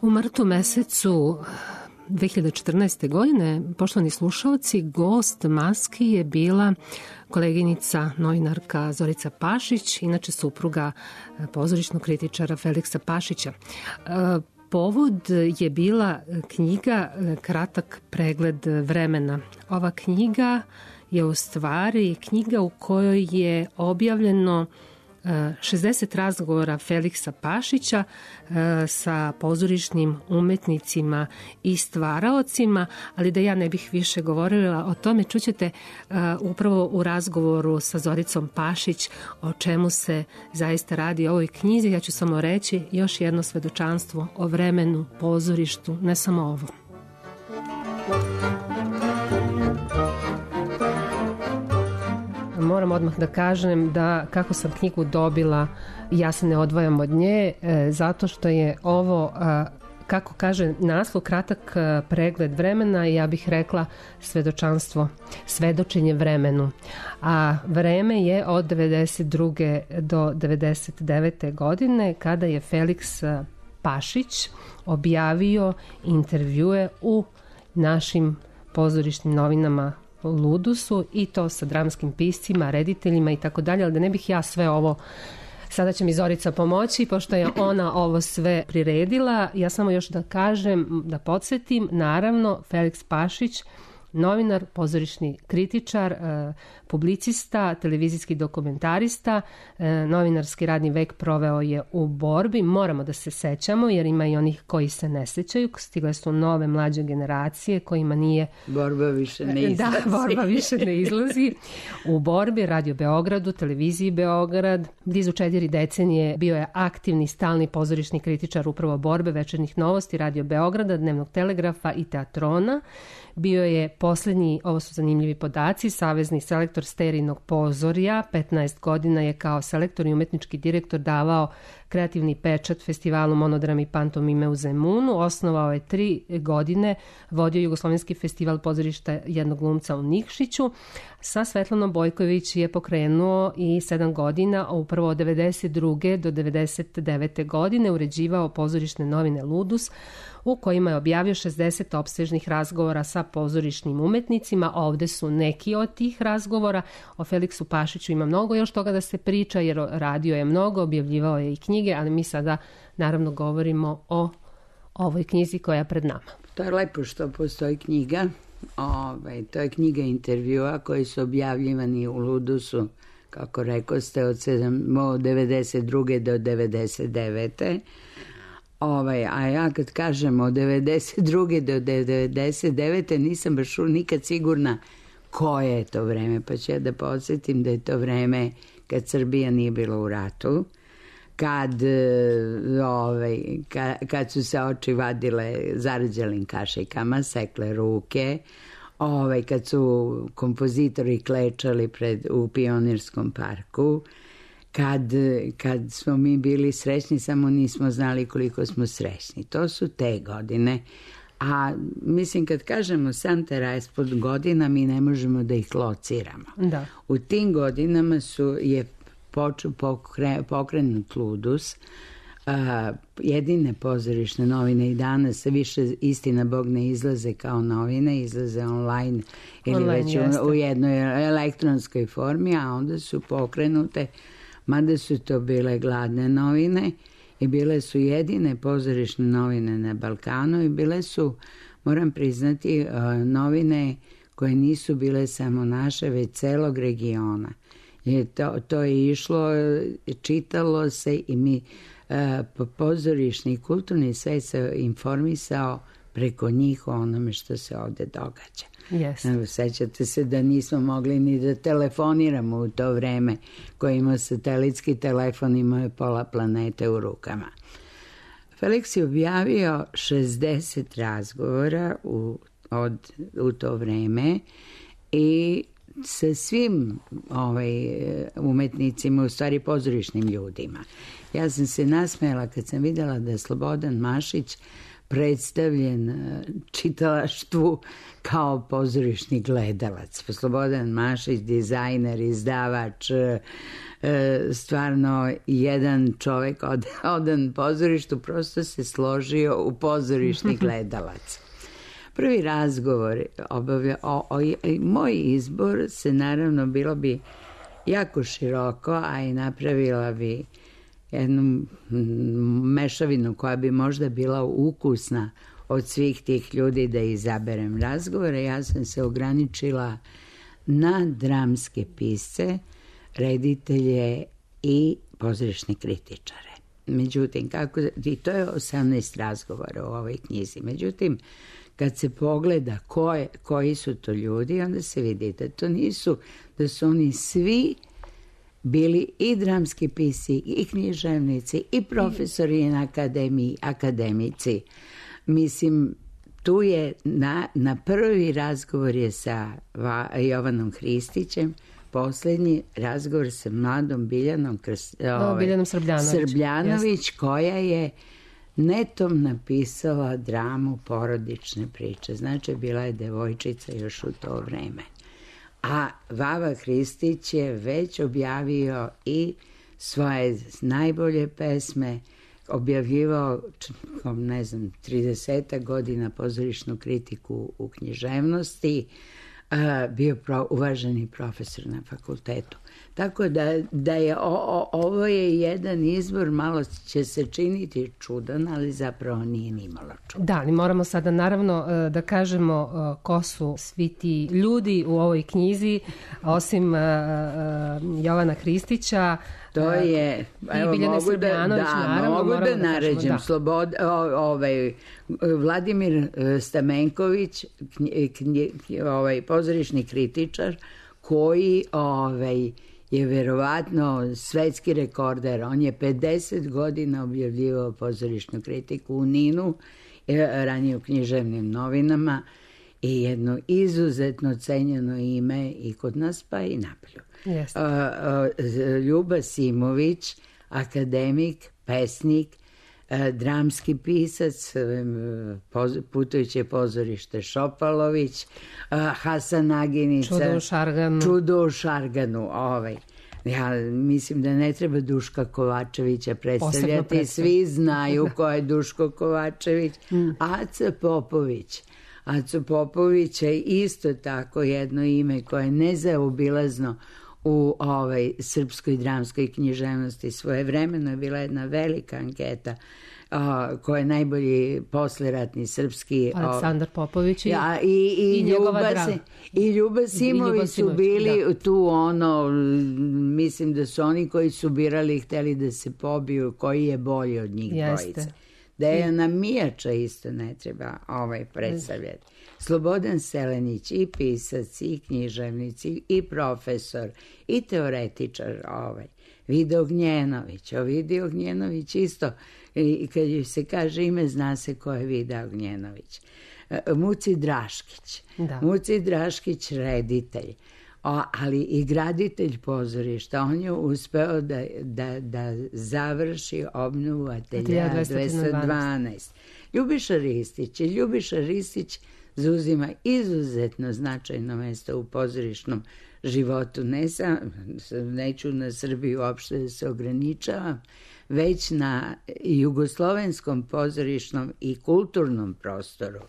U martu mesecu 2014. godine, poštovani slušalci, gost Maski je bila koleginica, novinarka Zorica Pašić, inače supruga pozorišnog kritičara Feliksa Pašića. Povod je bila knjiga Kratak pregled vremena. Ova knjiga je u stvari knjiga u kojoj je objavljeno 60 razgovora Feliksa Pašića sa pozorišnim umetnicima i stvaraocima, ali da ja ne bih više govorila o tome, čućete upravo u razgovoru sa Zoricom Pašić o čemu se zaista radi o ovoj knjizi. Ja ću samo reći još jedno svedočanstvo o vremenu, pozorištu, ne samo ovo. Moram odmah da kažem da kako sam knjigu dobila, ja se ne odvajam od nje, zato što je ovo, kako kaže naslov, kratak pregled vremena, ja bih rekla svedočanstvo, svedočenje vremenu. A vreme je od 92. do 99. godine, kada je Feliks Pašić objavio intervjue u našim pozorišnim novinama Ludusu, i to sa dramskim piscima, rediteljima i tako dalje, ali da ne bih ja sve ovo, sada će mi Zorica pomoći, pošto je ona ovo sve priredila. Ja samo još da kažem, da podsjetim, naravno Feliks Pašić, novinar, pozorišni kritičar, publicista, televizijski dokumentarista, novinarski radni vek proveo je u borbi. Moramo da se sećamo, jer ima i onih koji se ne sećaju. Stigle su nove mlađe generacije kojima nije...
Borba više ne izlazi.
Da, borba više ne izlazi. U borbi Radio Beogradu, televiziji Beograd, blizu 4 decenije bio je aktivni, stalni pozorišni kritičar upravo borbe, Večernjih novosti, Radio Beograda, Dnevnog telegrafa i Teatrona. Bio je posljednji, ovo su zanimljivi podaci, savezni selektor Sterinog pozorja. 15 godina je kao selektor i umetnički direktor davao kreativni pečat festivalu Monodram i pantomime u Zemunu. Osnovao je 3 godine, vodio Jugoslovenski festival pozorišta jednog glumca u Nikšiću. Sa Svetlanom Bojković je pokrenuo i 7 godina, upravo od 92. do 99. godine uređivao pozorišne novine Ludus, u kojima je objavio 60 opsežnih razgovora sa pozorišnim umetnicima. Ovde su neki od tih razgovora. O Feliksu Pašiću ima mnogo još toga da se priča, jer radio je mnogo, objavljivao je i knjige, ali mi sada naravno govorimo o ovoj knjizi koja je pred nama.
To je lepo što postoji knjiga. To je knjiga intervjua koji su objavljivani u Ludusu, kako rekao ste, od 92. do 99. A ja kad kažem od 92. do 99. nisam baš nikad sigurna koje je to vreme, pa ću ja da podsjetim da je to vreme kad Srbija nije bila u ratu, kad su se oči vadile zarađelim kašikama, sekle ruke, kad su kompozitori klečali u Pionirskom parku, kad smo mi bili srećni, samo nismo znali koliko smo srećni. To su te godine. A mislim, kad kažemo sam taj raspod godina, mi ne možemo da ih lociramo.
Da.
U tim godinama je pokrenut Ludus, jedine pozorišne novine i danas više, istina Bog, ne izlaze kao novine, izlaze online ili već u jednoj elektronskoj formi, a onda su pokrenute, mada su to bile gladne novine i bile su jedine pozorišne novine na Balkanu i bile su, moram priznati, novine koje nisu bile samo naše, već celog regiona. To je išlo, čitalo se i mi pozorišni i kulturni svet se informisao preko njih o onome što se ovde događa.
Yes.
Sećate se da nismo mogli ni da telefoniramo u to vreme, koji ima satelitski telefon, imao je pola planete u rukama. Feliks je objavio 60 razgovora u to vreme i sa svim umetnicima, u stvari pozorišnim ljudima. Ja sam se nasmejala kad sam videla da Slobodan Mašić predstavljen čitalaštvu kao pozorišni gledalac. Slobodan Mašić, dizajner, izdavač, stvarno jedan čovek odan pozorištu, prosto se složio u pozorišni gledalac. Prvi razgovor moj izbor se naravno bilo bi jako široko, a i napravila bi jednu mešavinu koja bi možda bila ukusna od svih tih ljudi da izaberem razgovore. Ja sam se ograničila na dramske pisce, reditelje i pozorišne kritičare. Međutim, i to je 18 razgovora u ovoj knjizi. Međutim, kad se pogleda koji su to ljudi, onda se vidi da su oni svi bili i dramski pisci, i književnici, i profesori na akademiji, akademici. Mislim, tu je na prvi razgovor je sa Jovanom Hristićem, poslednji razgovor sa mladom Biljanom Srbljanović, koja je netom napisala dramu porodične priče. Znači, bila je devojčica još u to vreme. A Vava Hristić je već objavio i svoje najbolje pesme, objavljivao, 30 godina pozorišnu kritiku u književnosti, bio uvaženi profesor na fakultetu. Tako da je ovo je jedan izbor, malo će se činiti čudan, ali zapravo nije ni malo čudan.
Da, ali moramo sada naravno da kažemo ko su svi ti ljudi u ovoj knjizi, osim Jovana Hristića.
To je, evo, mogu da naređem. Vladimir Stamenković, pozorišni kritičar, koji je verovatno svetski rekorder. On je 50 godina objavljivao pozorišnu kritiku u Ninu, ranije u književnim novinama, i jedno izuzetno cenjeno ime i kod nas, pa i napolju. Ljuba Simović, akademik, pesnik, dramski pisac, Putujuće pozorište Šopalović, Hasan Aginica, Čudo u Šarganu. Ja mislim da ne treba Duška Kovačevića predstavljati, svi znaju ko je Duško Kovačević. Aco Popović je isto tako jedno ime koje je nezaobilazno u srpskoj dramskoj književnosti. Svojevremeno je bila jedna velika anketa koja je najbolji posleratni srpski...
Aleksandar Popović
i Ljuba Simović su bili tu, mislim da su oni koji su birali hteli da se pobiju koji je bolji od njih dvojice. Dejana Mijača isto ne treba predstavljati. Slobodan Selenić, i pisac, i književnic, i profesor, i teoretičar. Vida Ognjenović. Vida Ognjenović isto, kad se kaže ime, zna se ko je Vida Ognjenović. Muci Draškić. Muci Draškić, reditelj, ali i graditelj pozorišta. On je uspeo da završi obnovu ateljea 212. Ljubiša Ristić zauzima izuzetno značajno mesto u pozorišnom životu. Neću na Srbiju uopšte da se ograničavam, već na jugoslovenskom pozorišnom i kulturnom prostoru.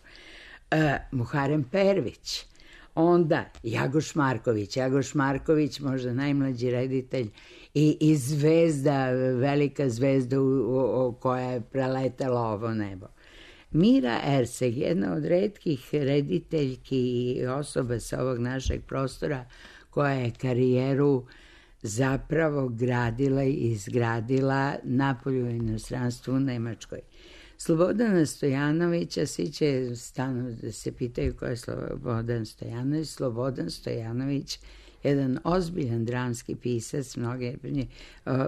Muharem Pervić. Onda Jagoš Marković, možda najmlađi reditelj i zvezda, velika zvezda koja je preletala ovo nebo. Mira Erseg, jedna od retkih rediteljki i osoba sa ovog našeg prostora koja je karijeru zapravo gradila i izgradila napolju u inostranstvu u Nemačkoj. Slobodana Stojanovića, svi će stanu da se pitaju ko je Slobodan Stojanović. Slobodan Stojanović, jedan ozbiljan dramski pisac,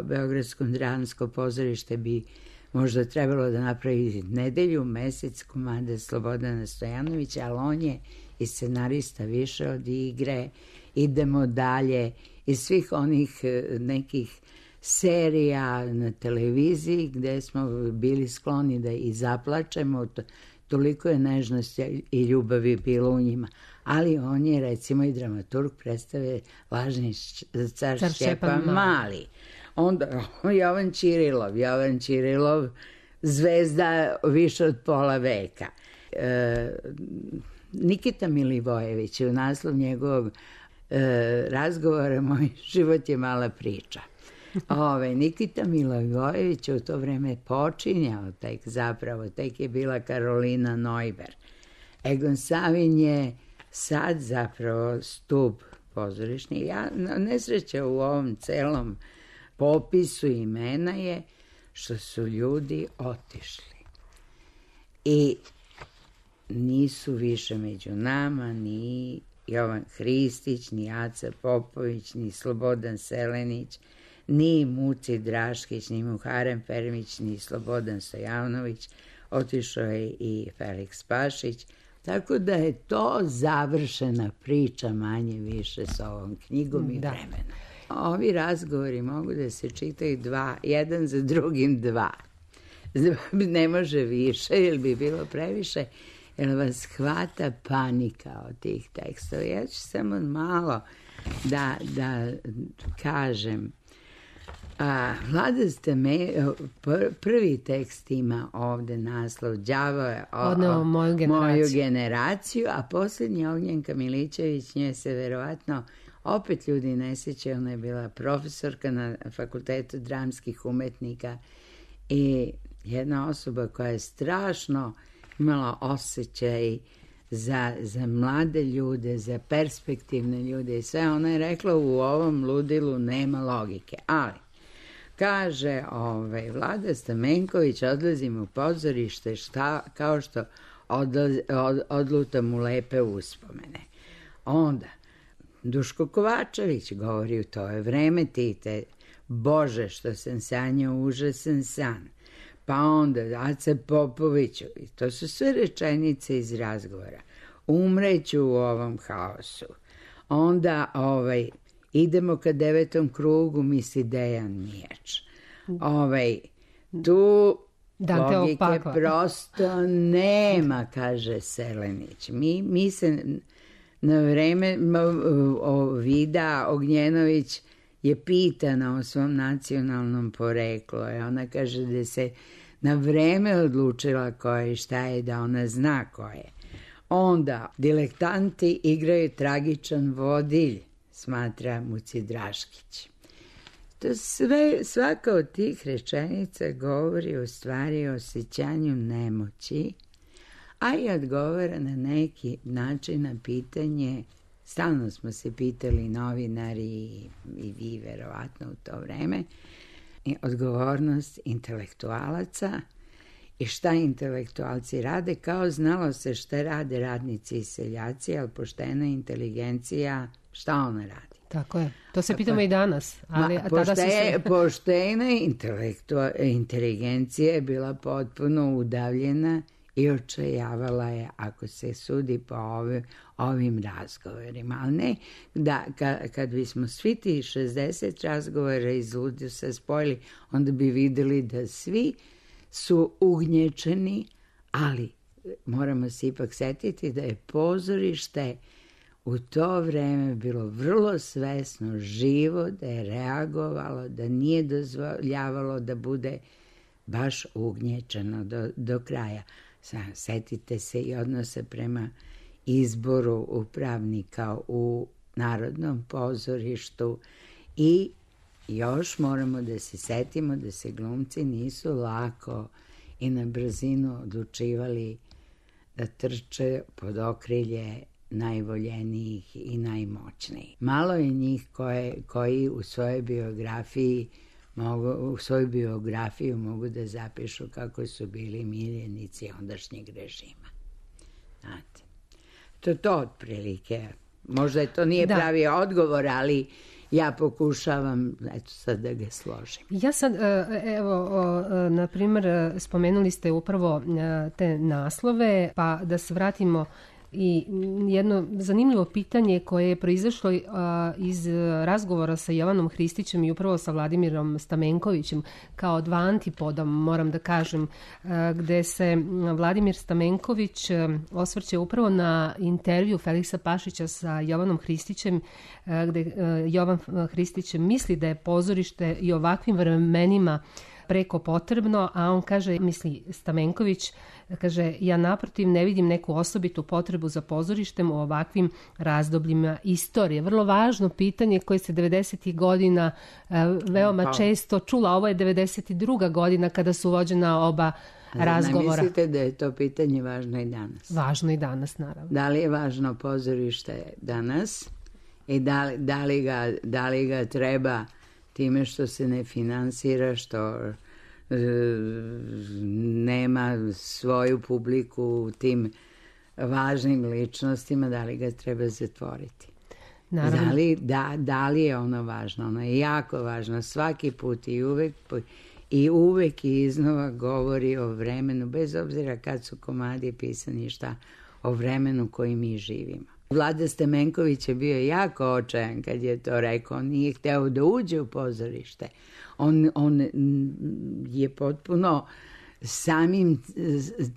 Beogradsko dramsko pozorište bi možda trebalo da napravi nedelju, mesec komada Slobodana Stojanovića, ali on je i scenarista više od igre, idemo dalje, iz svih onih nekih serija na televiziji gde smo bili skloni da i zaplačemo, toliko je nežnosti i ljubavi bilo u njima. Ali on je recimo i dramaturg predstave Lažni car Šćepan Mali. Onda Jovan Čirilov, zvezda više od pola veka. Nikita Milivojević, u naslov njegovog razgovora Moj život je mala priča. Nikita Milivojević u to vreme počinjao tek je bila Karolina Neuber. Egon Savin je sad zapravo stub pozorišni. Nesreća u ovom celom popisu imena je što su ljudi otišli. I nisu više među nama ni Jovan Hristić, ni Aca Popović, ni Slobodan Selenić, ni Muci Draškić, ni Muharem Fermić, ni Slobodan Stojanović. Otišao je i Feliks Pašić. Tako da je to završena priča manje više s ovom knjigom i vremenom. Ovi razgovori mogu da se čitaju jedan za drugim dva. Ne može više, jer bi bilo previše, jer vas hvata panika od tih tekstova. Ja ću samo malo da kažem. Vlada prvi tekst ima ovde naslov Đavo je
odneo moju
generaciju, a posljednji Ognjenka Milićević, nje se verovatno opet ljudi ne sjećaju, ona je bila profesorka na Fakultetu dramskih umetnika i jedna osoba koja je strašno imala osjećaj za mlade ljude, za perspektivne ljude i sve. Ona je rekla u ovom ludilu nema logike, ali kaže Vlada Stamenković, odlazim u pozorište kao što odlutam u lepe uspomene. Onda Duško Kovačević govori u to je vreme Tite, Bože što sam sanjao užasan san. Pa onda Aca Popoviću, i to su sve rečenice iz razgovora. Umreću u ovom haosu. Onda idemo ka 9. krugu, misli Dejan Mijač. Tu logike prosto nema, kaže Selenić. Mi se na vreme Vida Ognjenović je pitana o svom nacionalnom poreklu. Ona kaže da se na vreme odlučila ko je i šta je, da ona zna ko je. Onda dilektanti igraju tragičan vodilj, smatra Muci Draškić. To sve, svaka od tih rečenica govori u stvari o osjećanju nemoći, a i odgovara na neki način na pitanje, stalno smo se pitali novinari i vi verovatno u to vreme, odgovornost intelektualaca i šta intelektualci rade, kao znalo se šta rade radnici i seljaci, ali poštena inteligencija, šta ona radi?
Tako je, to se pitamo i danas. Ali
poštena inteligencija je bila potpuno udavljena i očajavala je, ako se sudi po ovim razgovorima. Ali ne, da kad bismo svi ti 60 razgovora iz Ludusa spojili, onda bi videli da svi su ugnječeni, ali moramo se ipak setiti da je pozorište u to vreme bilo vrlo svesno, živo, da je reagovalo, da nije dozvoljavalo da bude baš ugnječeno do kraja. Setite se i odnosa prema izboru upravnika u Narodnom pozorištu i još moramo da se setimo da se glumci nisu lako i na brzinu odlučivali da trče pod okrilje najvoljenijih i najmoćnijih. Malo je njih koji u svojoj biografiju mogu da zapišu kako su bili miljenici ondašnjeg režima. Znate, to otprilike. Možda to nije pravi odgovor, ali ja pokušavam, sad da ga složim.
Ja sad, na primjer, spomenuli ste upravo te naslove, pa da se vratimo I jedno zanimljivo pitanje koje je proizašlo iz razgovora sa Jovanom Hristićem i upravo sa Vladimirom Stamenkovićem kao dva antipoda, moram da kažem, gde se Vladimir Stamenković osvrće upravo na intervju Feliksa Pašića sa Jovanom Hristićem, gde Jovan Hristić misli da je pozorište i ovakvim vremenima preko potrebno, a on kaže, misli Stamenković, kaže, ja naprotiv ne vidim neku osobitu potrebu za pozorištem u ovakvim razdobljima istorije. Vrlo važno pitanje koje se 90. godina veoma često čula. Ovo je 92. godina kada su vođena oba razgovora.
Ne mislite da je to pitanje važno i danas?
Važno i danas, naravno.
Da li je važno pozorište danas i da li ga treba time što se ne finansira, što nema svoju publiku u tim važnim ličnostima, da li ga treba zatvoriti?
Naravno.
Da li je ono važno? Ono je jako važno svaki put i uvek i iznova govori o vremenu, bez obzira kad su komadi pisani, šta, o vremenu koji mi živimo. Vlada Stamenković je bio jako očajan kad je to rekao. On nije hteo da uđe u pozorište. On je potpuno samim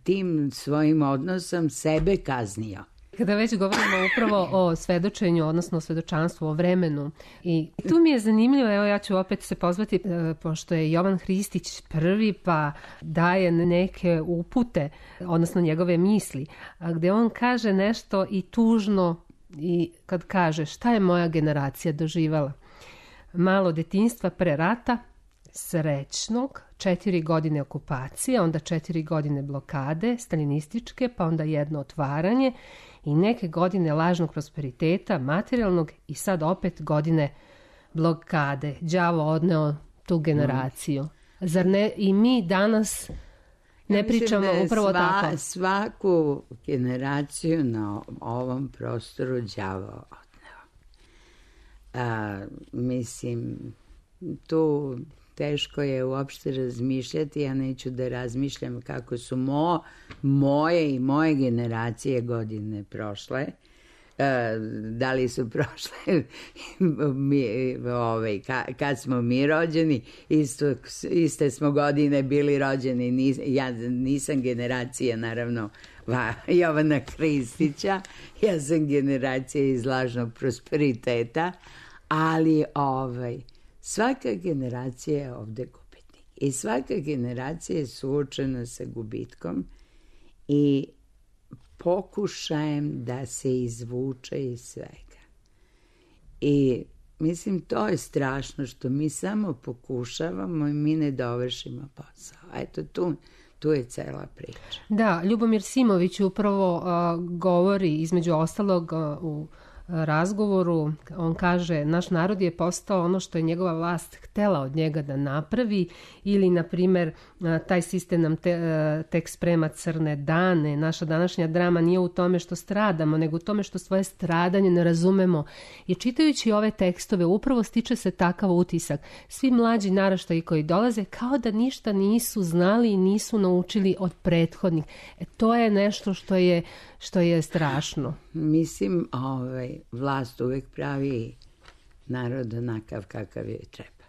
tim svojim odnosom sebe kaznio.
Kada već govorimo upravo o svedočenju, odnosno o svedočanstvu, o vremenu, i tu mi je zanimljivo, evo ja ću opet se pozvati, pošto je Jovan Hristić prvi, pa daje neke upute, odnosno njegove misli, gde on kaže nešto i tužno, i kad kaže šta je moja generacija doživala. Malo detinjstva pre rata, srećnog, 4 godine okupacije, onda 4 godine blokade, stalinističke, pa onda jedno otvaranje i neke godine lažnog prosperiteta, materijalnog i sad opet godine blokade. Đavo odneo tu generaciju. Zar ne i mi danas ne pričamo upravo tako?
Svaku generaciju na ovom prostoru đavo odneo. Mislim, tu teško je uopšte razmišljati, ja neću da razmišljam kako su moje i moje generacije godine prošle, da li su prošle kad smo mi rođeni, iste smo godine bili rođeni, ja nisam generacija naravno Jovana Hristića, ja sam generacija iz lažnog prosperiteta, ali svaka generacija je ovde gubitnik i svaka generacija je suočena sa gubitkom i pokušajem da se izvuče iz svega. I mislim, to je strašno što mi samo pokušavamo i mi ne dovršimo posao. Eto, tu je cela priča.
Da, Ljubomir Simović upravo govori između ostalog u razgovoru, on kaže, naš narod je postao ono što je njegova vlast htela od njega da napravi, ili na primer taj sistem nam tek sprema crne dane. Naša današnja drama nije u tome što stradamo, nego u tome što svoje stradanje ne razumemo. I čitajući ove tekstove upravo stiče se takav utisak. Svi mlađi naraštaji koji dolaze kao da ništa nisu znali i nisu naučili od prethodnih. To je nešto što je strašno.
Mislim, vlast uvek pravi narod onakav kakav joj treba.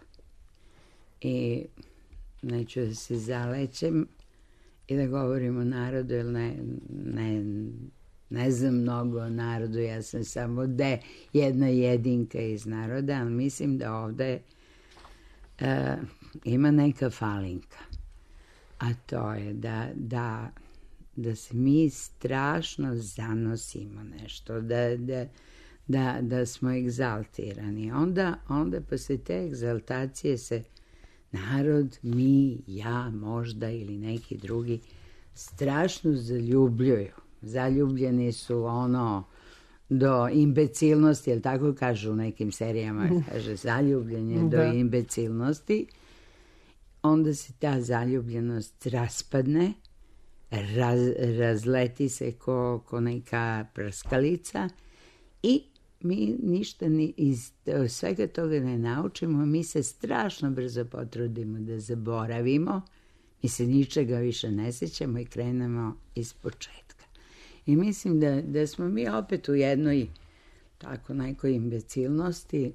I neću da se zalećem i da govorim o narodu, jer ne znam mnogo o narodu, ja sam samo jedna jedinka iz naroda, ali mislim da ovde ima neka falinka. A to je da se mi strašno zanosimo nešto, da smo egzaltirani. Onda posle te egzaltacije se narod, mi, ja, možda ili neki drugi strašno zaljubljuju. Zaljubljeni su do imbecilnosti, jel tako kažu u nekim serijama, kaže zaljubljenje do imbecilnosti. Onda se ta zaljubljenost raspadne, razleti se ko neka prskalica i mi ništa iz svega toga ne naučimo, mi se strašno brzo potrudimo da zaboravimo, mi se ničega više ne sećamo i krenemo iz početka. I mislim da smo mi opet u jednoj tako nekoj imbecilnosti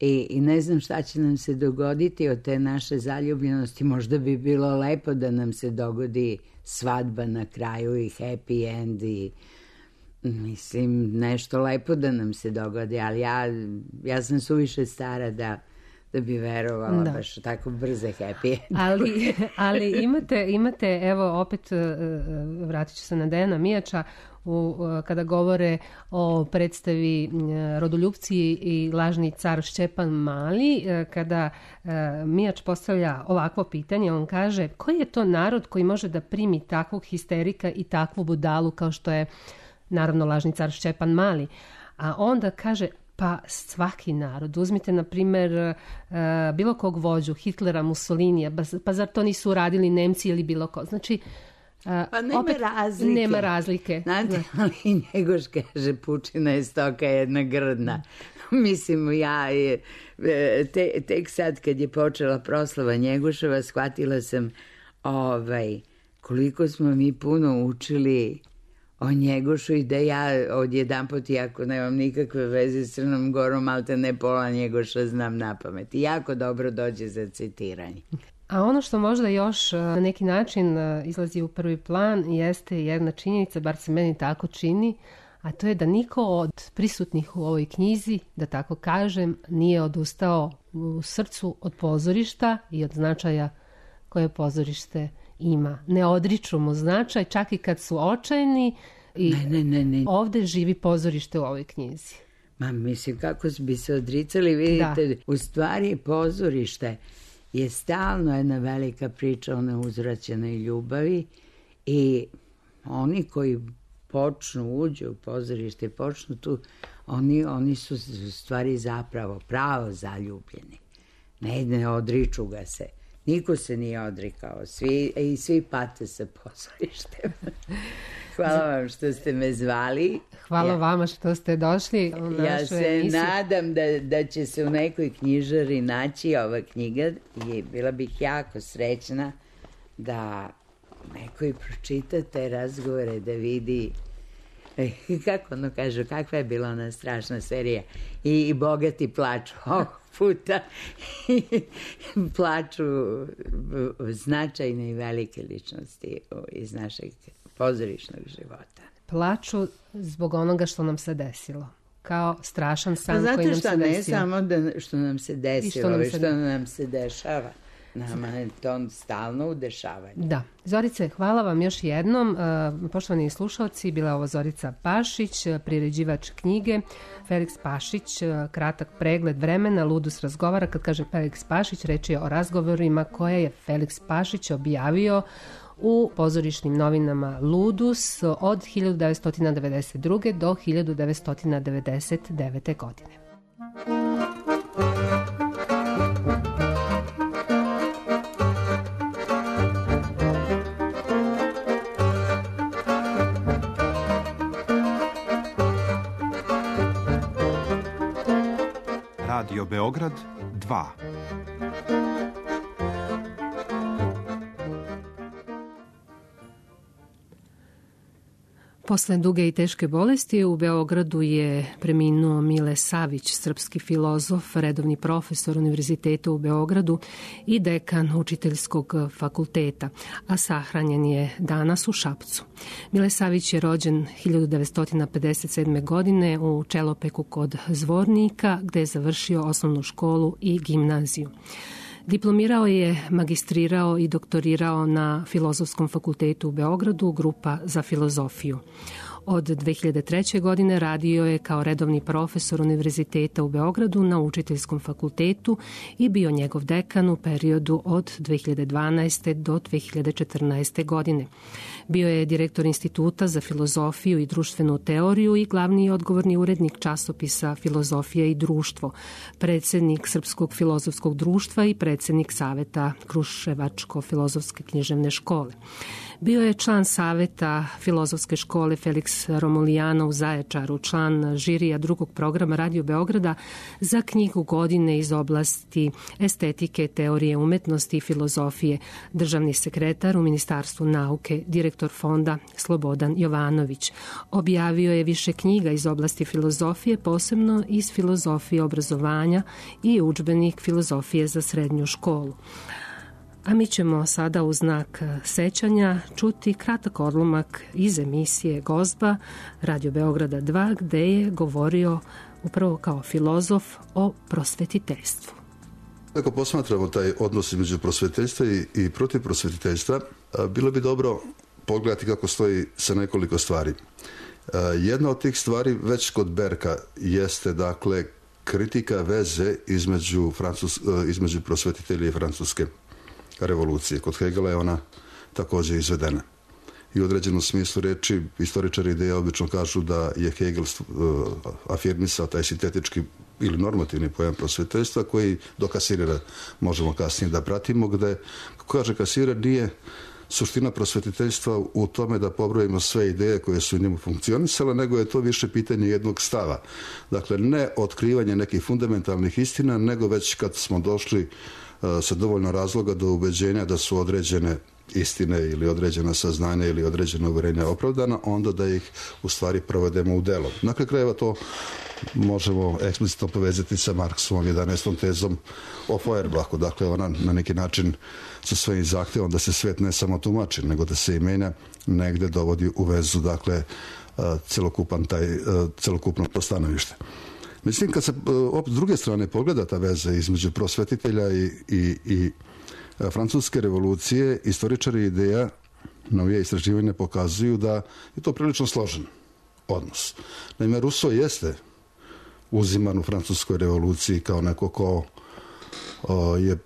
i ne znam šta će nam se dogoditi od te naše zaljubljenosti. Možda bi bilo lepo da nam se dogodi svadba na kraju i happy end i mislim nešto lepo da nam se dogodi, ali ja sam suviše stara da bi verovala baš tako brze happy end.
ali imate, evo opet vratit ću se na Dejana Mijača, kada govore o predstavi Rodoljupci i lažni car Šćepan Mali, kada Mijač postavlja ovakvo pitanje, on kaže koji je to narod koji može da primi takvog histerika i takvu budalu kao što je naravno lažni car Šćepan Mali, a onda kaže pa svaki narod. Uzmite, na primjer, bilo kog vođu, Hitlera, Mussolinija, pa zar to nisu uradili Nemci ili bilo ko? Znači,
pa nema razlike. Znate, ali Njegoš kaže, pučina je stoka jedna grdna. Mislim, ja tek sad kad je počela proslava Njegoševa, shvatila sam koliko smo mi puno učili o Njegošu i da ja odjedanput, iako nemam nikakve veze s Crnom Gorom, malte ne pola Njegoša znam na pamet. I jako dobro dođe za citiranje.
A ono što možda još na neki način izlazi u prvi plan jeste jedna činjenica, bar se meni tako čini, a to je da niko od prisutnih u ovoj knjizi, da tako kažem, nije odustao u srcu od pozorišta i od značaja koje pozorište ima. Ne odriču mu značaj, čak i kad su očajni i
ne.
Ovde živi pozorište u ovoj knjizi.
Ma mislim, kako bi se odricali, vidite, u stvari pozorište je stalno jedna velika priča o neuzvraćenoj ljubavi i oni koji uđu u pozorište, počnu tu, oni su u stvari zapravo pravo zaljubljeni. Ne odriču ga se. Niko se nije odrikao, svi pate sa pozorištem. Hvala vam što ste me zvali.
Hvala vama što ste došli u našu
Ja se
emisiju.
nadam da će se u nekoj knjižari naći ova knjiga i bila bih jako srećna da neko i pročita te razgovore, da vidi kako ono kažu, kakva je bila ona strašna serija i bogati plaču ovog puta plaču značajne i velike ličnosti iz našeg pozorišnog života.
Plaču zbog onoga što nam se desilo. Kao strašan san koji nam se desilo.
Zato što ne samo što nam se desilo, već što nam se dešava. Nama je to stalno u dešavanju.
Da. Zorice, hvala vam još jednom. Poštovani slušalci, bila je ovo Zorica Pašić, priređivač knjige. Feliks Pašić, kratak pregled vremena, Ludus razgovara. Kad kaže Feliks Pašić, reč je o razgovorima koje je Feliks Pašić objavio u pozorišnim novinama Ludus od 1992. do 1999. godine.
Radio Beograd 2.
Posle duge i teške bolesti u Beogradu je preminuo Mile Savić, srpski filozof, redovni profesor Univerziteta u Beogradu i dekan Učiteljskog fakulteta, a sahranjen je danas u Šapcu. Mile Savić je rođen 1957. godine u Čelopeku kod Zvornika, gde je završio osnovnu školu i gimnaziju. Diplomirao je, magistrirao i doktorirao na Filozofskom fakultetu u Beogradu, grupa za filozofiju. Od 2003. godine radio je kao redovni profesor Univerziteta u Beogradu na Učiteljskom fakultetu i bio njegov dekan u periodu od 2012. do 2014. godine. Bio je direktor Instituta za filozofiju i društvenu teoriju i glavni i odgovorni urednik časopisa Filozofija i društvo, predsjednik Srpskog filozofskog društva i predsjednik Saveta Kruševačko-filozofske književne škole. Bio je član saveta Filozofske škole Feliks Luis Romulijano u Zaječaru, član žirija drugog programa Radio Beograda za knjigu godine iz oblasti estetike, teorije umetnosti i filozofije, državni sekretar u Ministarstvu nauke, direktor fonda Slobodan Jovanović. Objavio je više knjiga iz oblasti filozofije, posebno iz filozofije obrazovanja i udžbenik filozofije za srednju školu. A mi ćemo sada u znak sećanja čuti kratak odlomak iz emisije Gozba Radio Beograda 2, gde je govorio upravo kao filozof o prosvetiteljstvu.
Ako posmatramo taj odnos između prosvetiteljstva i protiv prosvetiteljstva, bilo bi dobro pogledati kako stoji sa nekoliko stvari. Jedna od tih stvari već kod Berka jeste, dakle, kritika veze između prosvetitelja i francuske revolucije. Kod Hegela je ona također izvedena. I u određenom smislu reči istoričari ideje obično kažu da je Hegel afirmisao taj sintetički ili normativni pojam prosvetiteljstva koji do Kasirera možemo kasnije da pratimo, gde, kako kaže Kasirer, nije suština prosvetiteljstva u tome da pobrojimo sve ideje koje su u njemu funkcionisale, nego je to više pitanje jednog stava. Dakle, ne otkrivanje nekih fundamentalnih istina, nego već kad smo došli sa dovoljno razloga do ubeđenja da su određene istine ili određena saznanja ili određena uverenja opravdana, onda da ih u stvari provedemo u delo. Na kraju krajeva to možemo eksplicitno povezati sa Marksovom 11. tezom o Feuerbachu. Dakle, ona na neki način sa svojim zahtjevom da se svet ne samo tumači, nego da se i menja, negde dovodi u vezu, dakle, celokupno postanovište. Mislim, kad se s druge strane pogleda ta veza između prosvetitelja i francuske revolucije, istoričari ideja, novije istraživanja pokazuju da je to prilično složen odnos. Naime, Rousseau jeste uziman u francuskoj revoluciji kao neko ko je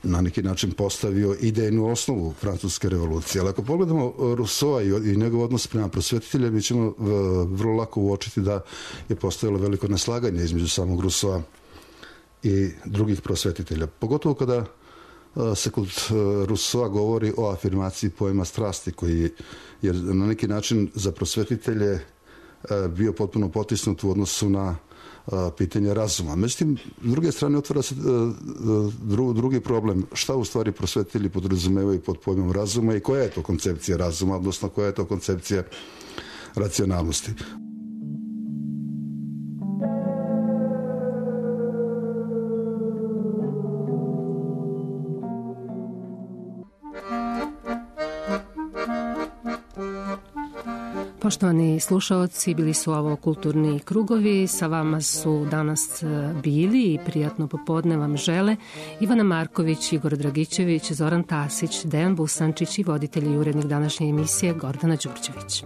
na neki način postavio idejnu osnovu francuske revolucije. Ali ako pogledamo Rousseau i njegov odnos prema prosvetitelja, mi ćemo vrlo lako uočiti da je postojalo veliko neslaganje između samog Rousseaua i drugih prosvetitelja. Pogotovo kada se kod Rousseaua govori o afirmaciji pojma strasti, koji je na neki način za prosvetitelje bio potpuno potisnut u odnosu na pitanje razuma. Međutim, s druge strane otvara se drugi problem. Šta u stvari prosvetitelji podrazumevaju pod pojmom razuma i koja je to koncepcija razuma, odnosno koja je to koncepcija racionalnosti.
Poštovani slušaoci, bili su ovo Kulturni krugovi. Sa vama su danas bili i prijatno popodne vam žele Ivana Marković, Igor Dragićević, Zoran Tasić, Dejan Busančić i voditelj i urednik današnje emisije Gordana Đurđević.